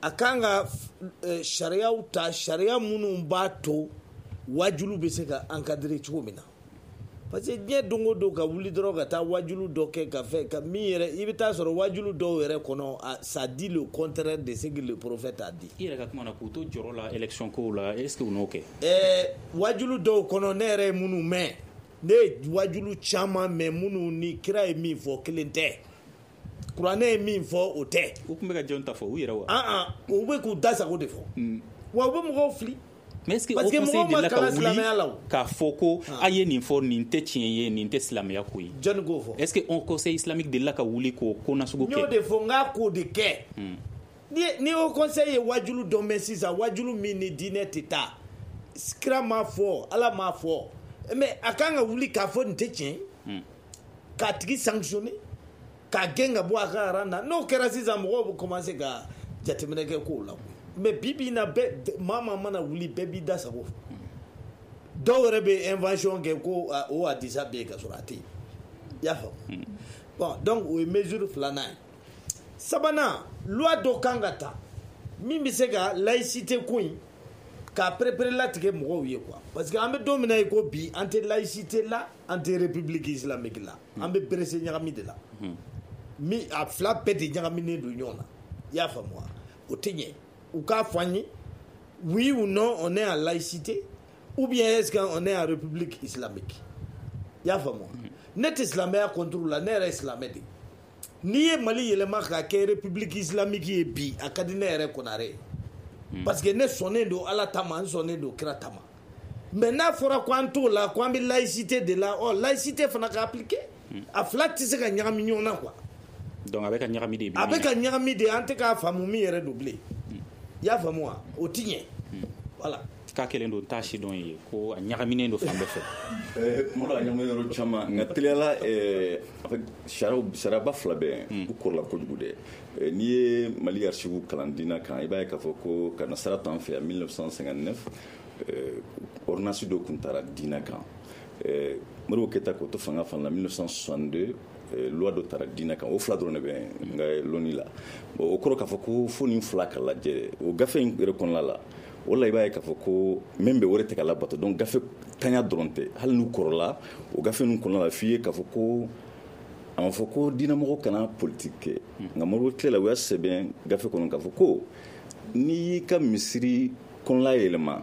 a kan ka sariyaw ta, sariya minnu b'a to wajulu bɛ se ka encadrer cogo min na. Parce que diɲɛ don o don ka wuli dɔrɔn ka taa wajulu dɔ kɛ ka fɛn ka min yɛrɛ, i bɛ taa sɔrɔ wajulu dɔw yɛrɛ kɔnɔ, ça dit le contraire de ce que le prophète a dit. I yɛrɛ ka kuma na k'u to jɔrɔ la élection kow la, est-ce que u n'o kɛ? Ɛɛ wajulu dɔw kɔnɔ ne yɛrɛ ye minnu mɛn, ne ye wajulu caman mɛn minnu ni kira ye min fɔ kelen tɛ, kuranɛ ye min fɔ o tɛ. U tun bɛ ka jɔn ta fɔ u yɛrɛ wa? An an u bɛ k'u da sago de fɔ. Wa u bɛ mɔgɔw fili. Mais est-ce que o conseil delila ka wuli k'a fɔ ko a ye nin fɔ, nin tɛ tiɲɛ ye, nin tɛ silamɛya ko ye? Jɔnni k'o fɔ? Est-ce que o conseil islamique delila ka wuli k'o ko nasugu kɛ? N y'o de fɔ, n k'a k'o de kɛ. Ni ni o conseil ye wajulu dɔ mɛn sisan, wajulu min ni diinɛ tɛ taa, kira m'a fɔ, Ala m'a fɔ, mais a kan ka wuli k'a fɔ nin tɛ tiɲɛ ye, k'a tigi sanctionner, k'a gɛn ka bɔ a ka rang na. N'o kɛra sisan, mɔgɔw bɛ commencer ka jateminɛ kɛ kow la. Mais bi bi in na bɛɛ, maa maa mana wuli bɛɛ b'i da sago fɔ. Dɔw yɛrɛ bɛ invention kɛ ko o hadisa bɛ yen ka sɔrɔ a tɛ yen. I y'a faamu? Bon, donc o ye mesure filanan ye. Sabanan, loi dɔ kan ka ta min bɛ se ka laïcité ko in k'a perepere latigɛ mɔgɔw ye quoi. Parce que an bɛ don min na i ko bi, an tɛ laïcité la, an tɛ république islamique la, an bɛ berese ɲagami de la. Min a fila bɛɛ de ɲagaminen don ɲɔgɔn na. I y'a faamu wa? O tɛ ɲɛ. U k'a fɔ an ye, oui ou non on est en laïcité ou bien est-ce qu'on est en république islamique? I y'a faamu wa? Ne tɛ silamɛya contre la, ne yɛrɛ ye silamɛ de ye. N'i ye Mali yɛlɛma k'a kɛ république islamique ye bi, a ka di ne yɛrɛ Konare ye. Parce que ne sɔnnen don Ala ta ma, n sɔnnen don kira ta ma. Mais n'a fɔra ko an t'o la, ko an bɛ laïcité de la, ɔ laïcité fana ka appliquer. A fila tɛ se ka ɲagami ɲɔgɔn na quoi. Donc a bɛ ka ɲagami de bi. A bɛ ka ɲagami de, an tɛ k'a faamu min yɛrɛ don bilen. I y'a faamu wa? O ti ɲɛ. Voilà. K'a kɛlen don t'a si dɔn ye ko a ɲagaminen don fan bɛɛ fɛ. Kuma dɔ la a ɲagaminen yɔrɔ caman, nka teliyala en fait sariyaw sariyaba fila bɛ yen, u kɔrɔla kojugu dɛ. N'i ye Mali archive kalan diinɛ kan, i b'a ye k'a fɔ ko ka nasara t'an fɛ yan mille neuf cent cinquante-neuf, ordonnance dɔ tun taara diinɛ kan. Modibo Keyita k'o to fanga fana la mille neuf cent soixante-deux, loi dɔ taara diinɛ kan. O fila dɔrɔn de bɛ n ka lɔnni la. Bon, o kɔrɔ k'a fɔ ko fo nin fila ka lajɛ o gafe in yɛrɛ kɔnɔna la. O la i b'a ye k'a fɔ ko min bɛ o de tɛ ka labato. Donc gafe tanya dɔrɔn tɛ, hali n'u kɔrɔla o gafe ninnu kɔnɔna la, f'i ye k'a fɔ ko a ma fɔ ko diinɛmɔgɔ kana politique kɛ. Nka Modibo tile la, u y'a sɛbɛn gafe kɔnɔ k'a fɔ ko n'i y'i ka misiri kɔnɔla yɛlɛma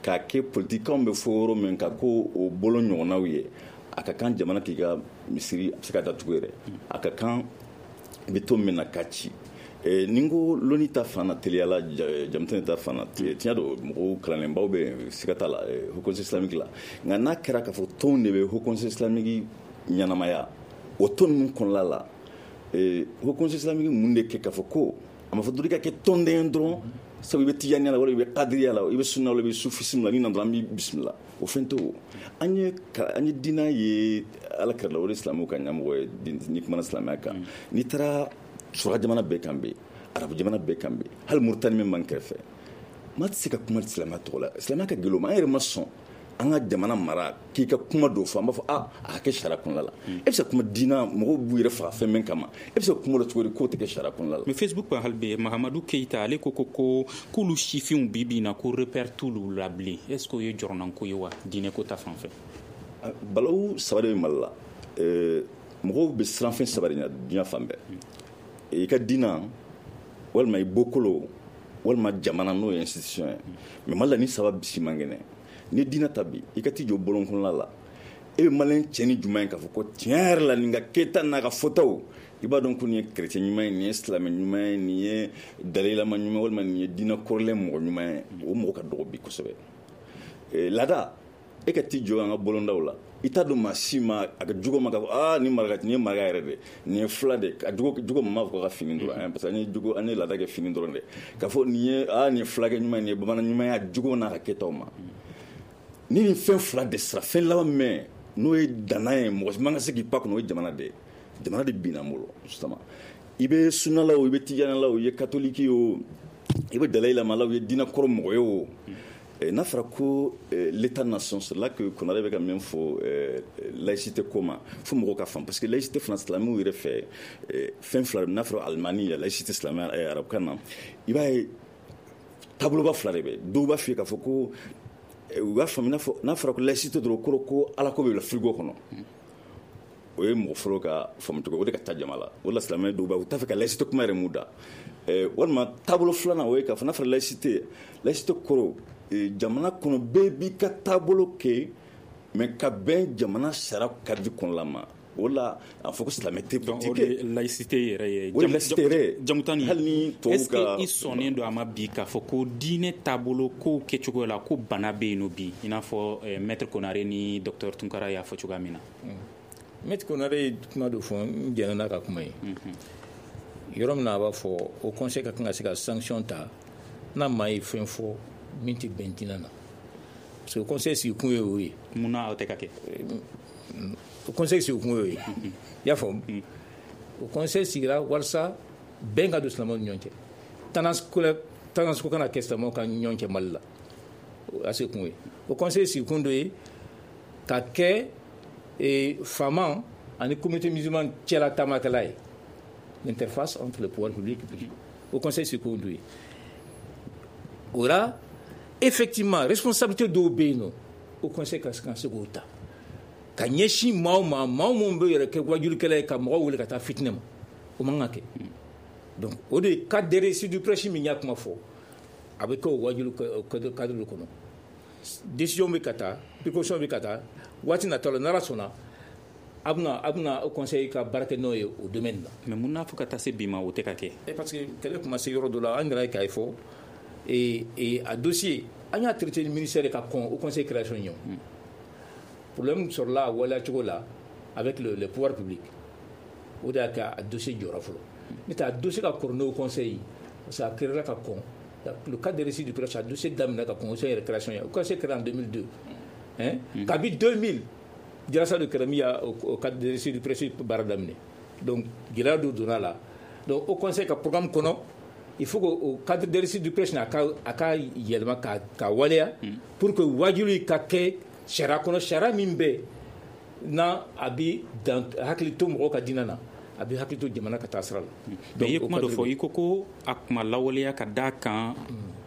k'a kɛ politikanw bɛ fɔ yɔrɔ min kan ko o bolo ɲɔgɔnnaw ye, a ka kan jamana k'i ka misiri a bɛ se ka datugu yɛrɛ, a ka kan i bɛ to min na k'a ci. Ni n ko lɔnni ta fan na teliyala, jamutɛnɛ ta fan na, tiɲɛ don mɔgɔw kalannenbaw bɛ yen, siga t'a la, Haut Conseil islamique la. Nka n'a kɛra k'a fɔ tɔnw de bɛ Haut Conseil islamique ɲɛnamaya, o tɔn ninnu kɔnɔna la, Haut Conseil islamique mun de kɛ k'a fɔ ko a ma fɔ dɔrɔn i ka kɛ tɔnden dɔrɔn, sabu i bɛ tijaniya la, walima i bɛ kadiriya la, i bɛ sunna la, i bɛ sufisme la, n'i nana dɔrɔn an b'i bisimila. O fɛn tɛ o. An ye an ye diinɛ ye Ala kɛra la, o de silamɛw ka ɲɛmɔgɔ ye n'i kumana silamɛya kan. N'i taara suraka jamana bɛɛ kan bɛ, arabu jamana bɛɛ kan bɛ, hali Moritani min b'an kɛrɛfɛ, maa tɛ se ka kuma silamɛya tɔgɔ la. Silamɛya ka gɛlɛn o ma, an yɛrɛ ma sɔn an ka jamana mara k'i ka kuma dɔw fɔ, an b'a fɔ ah a ka kɛ sariya kɔnɔna la. E bɛ se ka kuma diinɛ, mɔgɔw b'u yɛrɛ faga fɛn min kama, e bɛ se ka kuma dɔ cogo di k'o tɛ kɛ sariya kɔnɔna la. Mais Facebook kan hali bi Mahamadu Keyita ale ko ko ko k'olu sifinw bi bi in na ko repère t'olu la bilen. Est ce que o ye jɔrɔnanko ye wa diinɛ ko ta fan fɛ? Balawu saba de bɛ Mali la. Mɔgɔw bɛ siran fɛn saba de ɲɛ diɲɛ fan bɛɛ. I ka diinɛ, walima i bɔkolo, walima jamana n'o ye institution ye. Mais Mali la ni saba si man kɛnɛ. Ni diinɛ ta bi, i ka t'i jɔ bɔlɔn kɔnɔna la, e bɛ maliyɛn cɛ ni jumɛn ye k'a fɔ ko tiɲɛ yɛrɛ la nin ka kɛta n'a ka fɔtaw, i b'a dɔn ko nin ye chrétien ɲuman ye, nin ye silamɛ ɲuman ye, nin ye dalayilama ɲuman ye, walima nin ye diinɛ kɔrɔlen mɔgɔ ɲuman ye. O mɔgɔ ka dɔgɔ bi kosɛbɛ. Laada, e ka t'i jɔ an ka bɔlɔndaw la, i t'a dɔn maa si ma a ka jugu ma k'a fɔ aa nin maraka nin ye maraka yɛrɛ de, nin ye fila de, a jugu jugu ma fɔ ka fini dɔrɔn, parce que an ye jugu an ye laada kɛ fini dɔrɔn de, k'a fɔ nin ye aa nin ye fulakɛ ɲuman ye, nin ye bamanan ɲuman ye, a jugu n'a ka kɛtaw ma. Ni nin fɛn fila de sira, fɛn laban mɛn n'o ye danna ye, mɔgɔ si man ka se k'i pa kɔnɔ, o ye jamana de ye. Jamana de binna an bolo justement. I bɛ sunna la o, i bɛ tijana la o, i ye catholique ye o, i bɛ Dalaï Lama la o, i ye diinɛ kɔrɔ mɔgɔ ye o. N'a fɔra ko l'état nation, c'est là que Konare bɛ ka min fɔ laïcité ko ma, fo mɔgɔw ka faamu, parce que laïcité fana silamɛw yɛrɛ fɛ fɛn fila, n'a fɔra alimani laïcité silamɛya arabukan na, i b'a ye taaboloba fila de bɛ. Dɔw b'a f'i ye k'a fɔ ko u b'a faamu n'a fɔra ko laïcité dɔrɔn kɔrɔ ko Ala ko bɛ bila frigo kɔnɔ. O ye mɔgɔ fɔlɔ ka faamu cogo, o de ka taa jama la. O la silamɛ dɔw b'a u t'a fɛ ka laïcité kuma yɛrɛ mun da. Walima taabolo filanan o ye k'a fɔ n'a fɔra laïcité, laïcité kɔrɔ jamana kɔnɔ bɛɛ b'i ka taabolo kɛ, mais ka bɛn jamana sariya cadre kɔnɔna ma. O la a fɔ ko silamɛ tɛ politique kɛ. Laïcité yɛrɛ ye. O de laïcité yɛrɛ ye. Jamutani, hali ni tubabuw ka. Est-ce que i sɔnnen don a ma bi k'a fɔ ko diinɛ taabolo kow kɛcogo la ko bana bɛ yen nɔ bi, i n'a fɔ maître Konare ni docteur Tunkara y'a fɔ cogoya min na? Maître Konare ye kuma dɔ fɔ, n jɛnna n'a ka kuma ye. Yɔrɔ min na a b'a fɔ o conseil ka kan ka se ka sanction ta n'a maa ye fɛn fɔ min tɛ bɛn diinɛ na, parce que conseil sigikun ye o ye. Mun na o tɛ ka kɛ? O conseil sigikun ye o ye. I y'a faamu? O conseil sigira walasa bɛn ka don silamɛw ni ɲɔgɔn cɛ, tendance ko tendance ko kana kɛ silamɛw ka ɲɔgɔn cɛ Mali la, o y'a sigikun ye. O conseil sigikun dɔ ye ka kɛ faama ani communauté musulmane cɛla taamakɛla ye, l'interface entre le pouvoir public et privé. O conseil sigikun dɔ ye. O la effectivement responsabilité dɔw bɛ yen nɔ, o conseil ka se k'o ta ka ɲɛsin maaw ma, maaw minnu bɛ yɛrɛ kɛ wajulikɛla ye ka mɔgɔw wele ka taa fitinɛ ma, o man ka kɛ. Donc o de cadre de réussite du prêche min y'a kuma fɔ, a bɛ kɛ o wajuli cadre de kɔnɔ. Décision bɛ ka taa, précaution bɛ ka taa, waati nataw la n'Ala sɔnna a bɛna a bɛna o conseil ka baara kɛ n'o ye o domaine la. Mais mun n'a fɔ ka taa se bi ma o tɛ ka kɛ? Parce que kɛlɛ tun ma se yɔrɔ dɔ la, an yɛrɛ ye k'a fɔ et et a dossier An y'a traité ni ministère ka kɔn Haut Conseil création ɲɛ. Problème sɔrɔla a waleya cogo la avec le, le pouvoir public. O de y'a kɛ a dossier jɔra fɔlɔ. N'o tɛ a dossier ka kɔrɔ n'Haut Conseil, parce que a créera ka kɔn. Le cadre de réussite du prêche, a dossier daminɛ ka kɔn Haut Conseil yɛrɛ création ɲɛ. Haut Conseil créé en deux mille deux. Hein? Kabi deux mille, Jalasa de kɛra min y'a o cadre de réussite du prêche baara daminɛ. Donc gɛlɛya dɔ donna la. Donc Haut Conseil ka programme kɔnɔ, il faut que o cadre de réussite du prêche a ka a ka yɛlɛma ka ka waleya pour que wajuli ka kɛ sariya kɔnɔ, sariya min bɛ n'a a bɛ dan hakili to mɔgɔw ka diinɛ na, a bɛ hakili to jamana ka taa sira la. Mais i ye kuma dɔ fɔ, i ko ko a kuma lawaleya ka d'a kan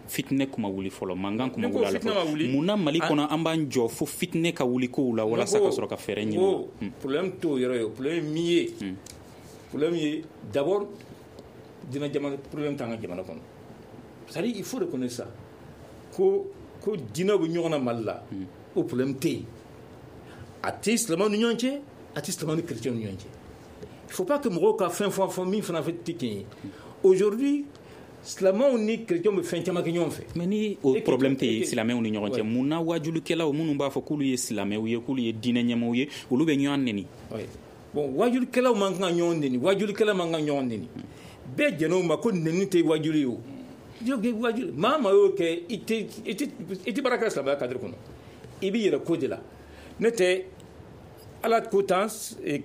fitinɛ kuma wuli fɔlɔ, mankan kuma wuli a la fɔlɔ. Mun na Mali kɔnɔ an b'an jɔ fo fitinɛ ka wuli kow la walasa ka sɔrɔ ka fɛɛrɛ ɲini? Ko problème t'o yɔrɔ ye. Problème ye min ye, problème ye d'abord diinɛ jamana, problème t'an ka jamana kɔnɔ. C'est à dire, il faut reconnaître ça, ko ko diinɛ bɛ ɲɔgɔn na Mali la, o problème tɛ yen. A tɛ silamɛw ni ɲɔgɔn cɛ, a tɛ silamɛw ni chrétiens ni ɲɔgɔn cɛ. Il faut pas que mɔgɔw ka fɛn fɔ fɔ min fana tɛ tiɲɛ ye. Aujourd'hui, silamɛw ni chrétiens bɛ fɛn caman kɛ ɲɔgɔn fɛ. Mais ni o problème tɛ yen silamɛw ni ɲɔgɔn cɛ, mun na wajulikɛlaw minnu b'a fɔ k'olu ye silamɛw ye, k'olu ye diinɛ ɲɛmɔgɔw ye, olu bɛ ɲɔgɔn neni? Bon, wajulikɛlaw man kan ka ɲɔgɔn neni, wajulikɛla man kan ka ɲɔgɔn neni. Bɛɛ jɛn'o ma ko neni tɛ wajuli ye. O wajuli, maa maa y'o kɛ, i tɛ i tɛ i tɛ baara kɛ silamɛya cadre kɔnɔ, i b'i yɛrɛ ko de la. Ne tɛ Ala ko tan,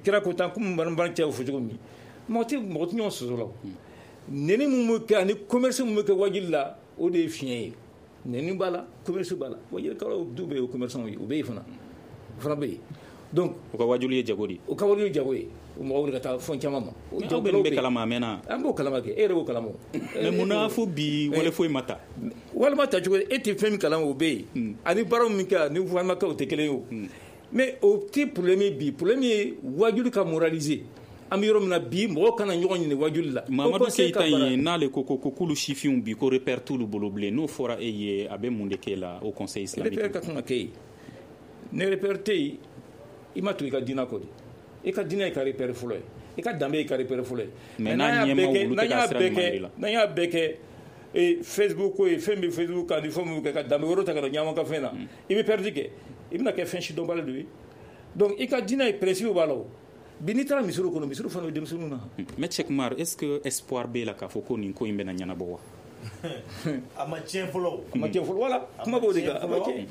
kira ko tan, komi ban cɛw fɔ cogo min, mɔgɔ tɛ mɔgɔ tɛ ɲɔgɔn sɔsɔ la. Neni mun bɛ kɛ ani commerce mun bɛ kɛ wajuli la, o de ye fiɲɛ ye. Neni b'a la, commerce b'a la. Wajulikɛlaw du bɛ yen, o commerçant ye, o bɛ yen fana, o fana bɛ yen. Donc o ka wajuli ye jago de ye. O ka wajuli ye jago ye. O mɔgɔ wuli ka taa fɛn caman ma. Aw bɛ nin bɛɛ kalama a mɛnna. An b'o kalama kɛ, e yɛrɛ b'o kalama. Mais mun na fo bi wale foyi ma ta? Walima ta cogo, e tɛ fɛn min kalama, o bɛ yen. Ani baara min kɛ ani walima kɛ, o tɛ kelen ye o. Mais o tɛ problème ye bi. Problème ye wajuli ka moraliser. An bɛ yɔrɔ min na bi, mɔgɔw kana ɲɔgɔn ɲini wajuli la. Mamadu Keyita in n'ale ko ko k'olu sifinw bi ko repère t'olu bolo bilen, n'o fɔra e ye, a bɛ mun de k'e la, Haut Conseil islamique? Repère ka kan ka kɛ yen. Ni repère tɛ yen, i ma tugu i ka diinɛ kɔ de. I ka diinɛ ye ka repère fɔlɔ ye, i ka danbe ye ka repère fɔlɔ ye. Mais n'a ɲɛmaw olu tɛ ka sira ɲuman de la. N'an y'a bɛɛ kɛ Facebook ko ye, fɛn bɛ Facebook kan ni fɛn min kɛ ka danbe wɛrɛw ta ka na ɲɔgɔn ka fɛn na, i bɛ perdre kɛ, i bɛna kɛ fɛn sidɔnbali dɔ ye. Donc i ka diinɛ ye principe b'a la. O bi, n'i taara misiriw kɔnɔ, misiriw fana bɛ denmisɛnninw na. Mais Cheick Oumar, est-ce que espoir b'e la k'a fɔ ko nin ko in bɛna ɲɛnabɔ wa? A ma tiɲɛ fɔlɔ. A ma tiɲɛ fɔlɔ, voilà, kuma b'o de kan, a ma tiɲɛ.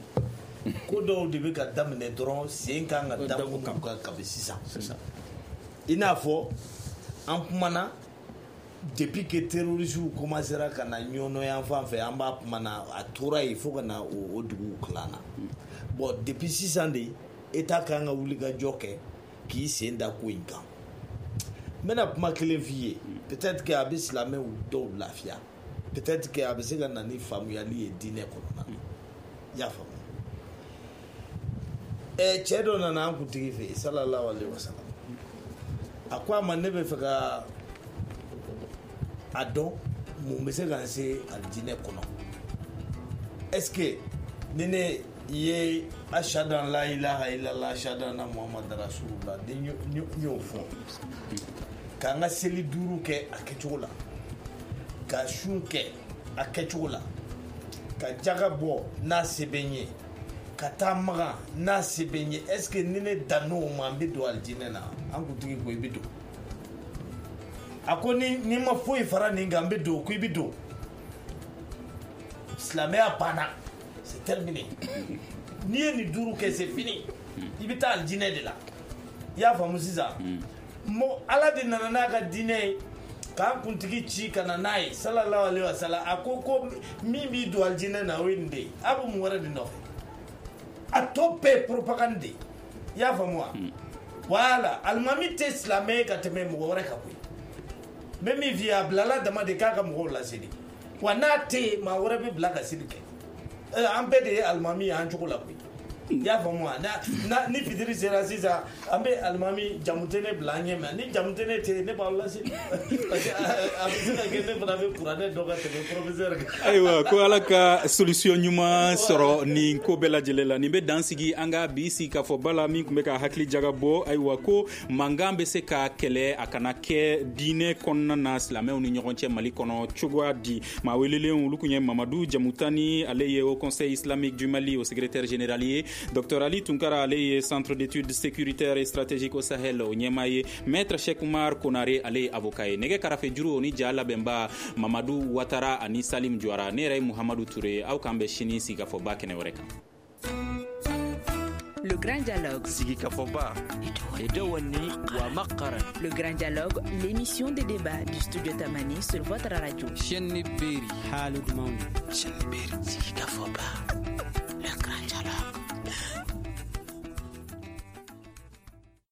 Ko dɔw de bɛ ka daminɛ dɔrɔn, sen kan ka da minnu kan kabi sisan. I n'a fɔ an kumana depuis que terroristes commencera ka na Ɲɔnɔ yan fan fɛ, an b'a kuma na, a tora yen fo ka na o dugu kilan na. Bon, depuis sisan de, État kan ka wuli ka jɔ kɛ k'i sen da ko in kan. N bɛna kuma kelen f'i ye, peut-être que a bɛ silamɛw dɔw lafiya, peut-être que a bɛ se ka na ni faamuyali ye diinɛ kɔnɔna na. I y'a faamu? Ɛ, cɛ dɔ nana an kuntigi fɛ yen, sallallahu alaihi wa sallam. A ko a ma: ne bɛ fɛ ka a dɔn mun bɛ se ka n se alijinɛ kɔnɔ. Est ce que ni ne ye ashadu an la ilaha illallah, ashadu anna muhammad rasulullah, ni n y'o fɔ, k'an ka seli duuru kɛ a kɛcogo la, ka sun kɛ a kɛcogo la, ka jaga bɔ n'a se bɛ n ye, ka taa Magan n'a se bɛ n ye, est ce que ni ne dann'o ma, n bɛ don alijinɛ na? An kuntigi ko: i bɛ don. A ko: ni ni ma foyi fara nin kan, n bɛ don? Ko i bɛ don. Silamɛya banna, c'est terminé. N'i ye nin duuru kɛ, c'est fini, i bɛ taa alijinɛ de la. I y'a faamu sisan? Mɔ Ala de nana n'a ka diinɛ ye k'an kuntigi ci ka na n'a ye, sallallahu alaihi wa sallam. A ko ko min b'i don alijinɛ na, o ye nin de ye. A bɛ mun wɛrɛ de nɔfɛ? A tɔ bɛɛ ye propagande de ye. I y'a faamu wa? Voilà, alimami tɛ silamɛ ye ka tɛmɛ mɔgɔ wɛrɛ kan koyi. N bɛ min f'i ye, a bilala dama de k'a ka mɔgɔw laseli wa. N'a tɛ yen, maa wɛrɛ bɛ bila ka seli kɛ. An bɛɛ de ye alimami ye an cogo la koyi. I y'a faamu wa? Na ni fitiri sera sisan, an bɛ alimami jamutene bila an ɲɛ ma. Ni jamutene tɛ yen, ne b'aw lase, parce que a bɛ se ka kɛ ne fana bɛ kuranɛ dɔn ka tɛmɛ professeur kan. Ayiwa, ko Ala ka solution ɲuman sɔrɔ nin ko bɛɛ lajɛlen la. Nin bɛ dan sigi an ka bi sigi k'a fɔ bala min tun bɛ ka hakili jagabɔ. Ayiwa, ko mankan bɛ se ka kɛlɛ a kana kɛ diinɛ kɔnɔna na silamɛw ni ɲɔgɔn cɛ Mali kɔnɔ cogoya di? Maa welelen olu tun ye Mamadu Jamutani, ale ye Haut Conseil islamique du Mali o secrétaire général ye, Docteur Ali Tunkara, ale ye Centre d'études sécuritaires et stratégiques au Sahel o ɲɛmaa ye, Maître Cheikh Oumar Konare, ale ye avocat ye. Nɛgɛ karafe juru o ni ja labɛnba Mamadu Watara ani Salim Juara. Ne yɛrɛ ye Muhamadu Ture. Aw k'an bɛ sini sigikafɔba kɛnɛ wɛrɛ kan. Le Grand Dialogue. Sigikafɔba. Le Grand Dialogue, l'émission de débat du studio Tamani sur votre radio. Chaîne Berry. Haalude mawde. Chaîne Berry. Sigikafɔba.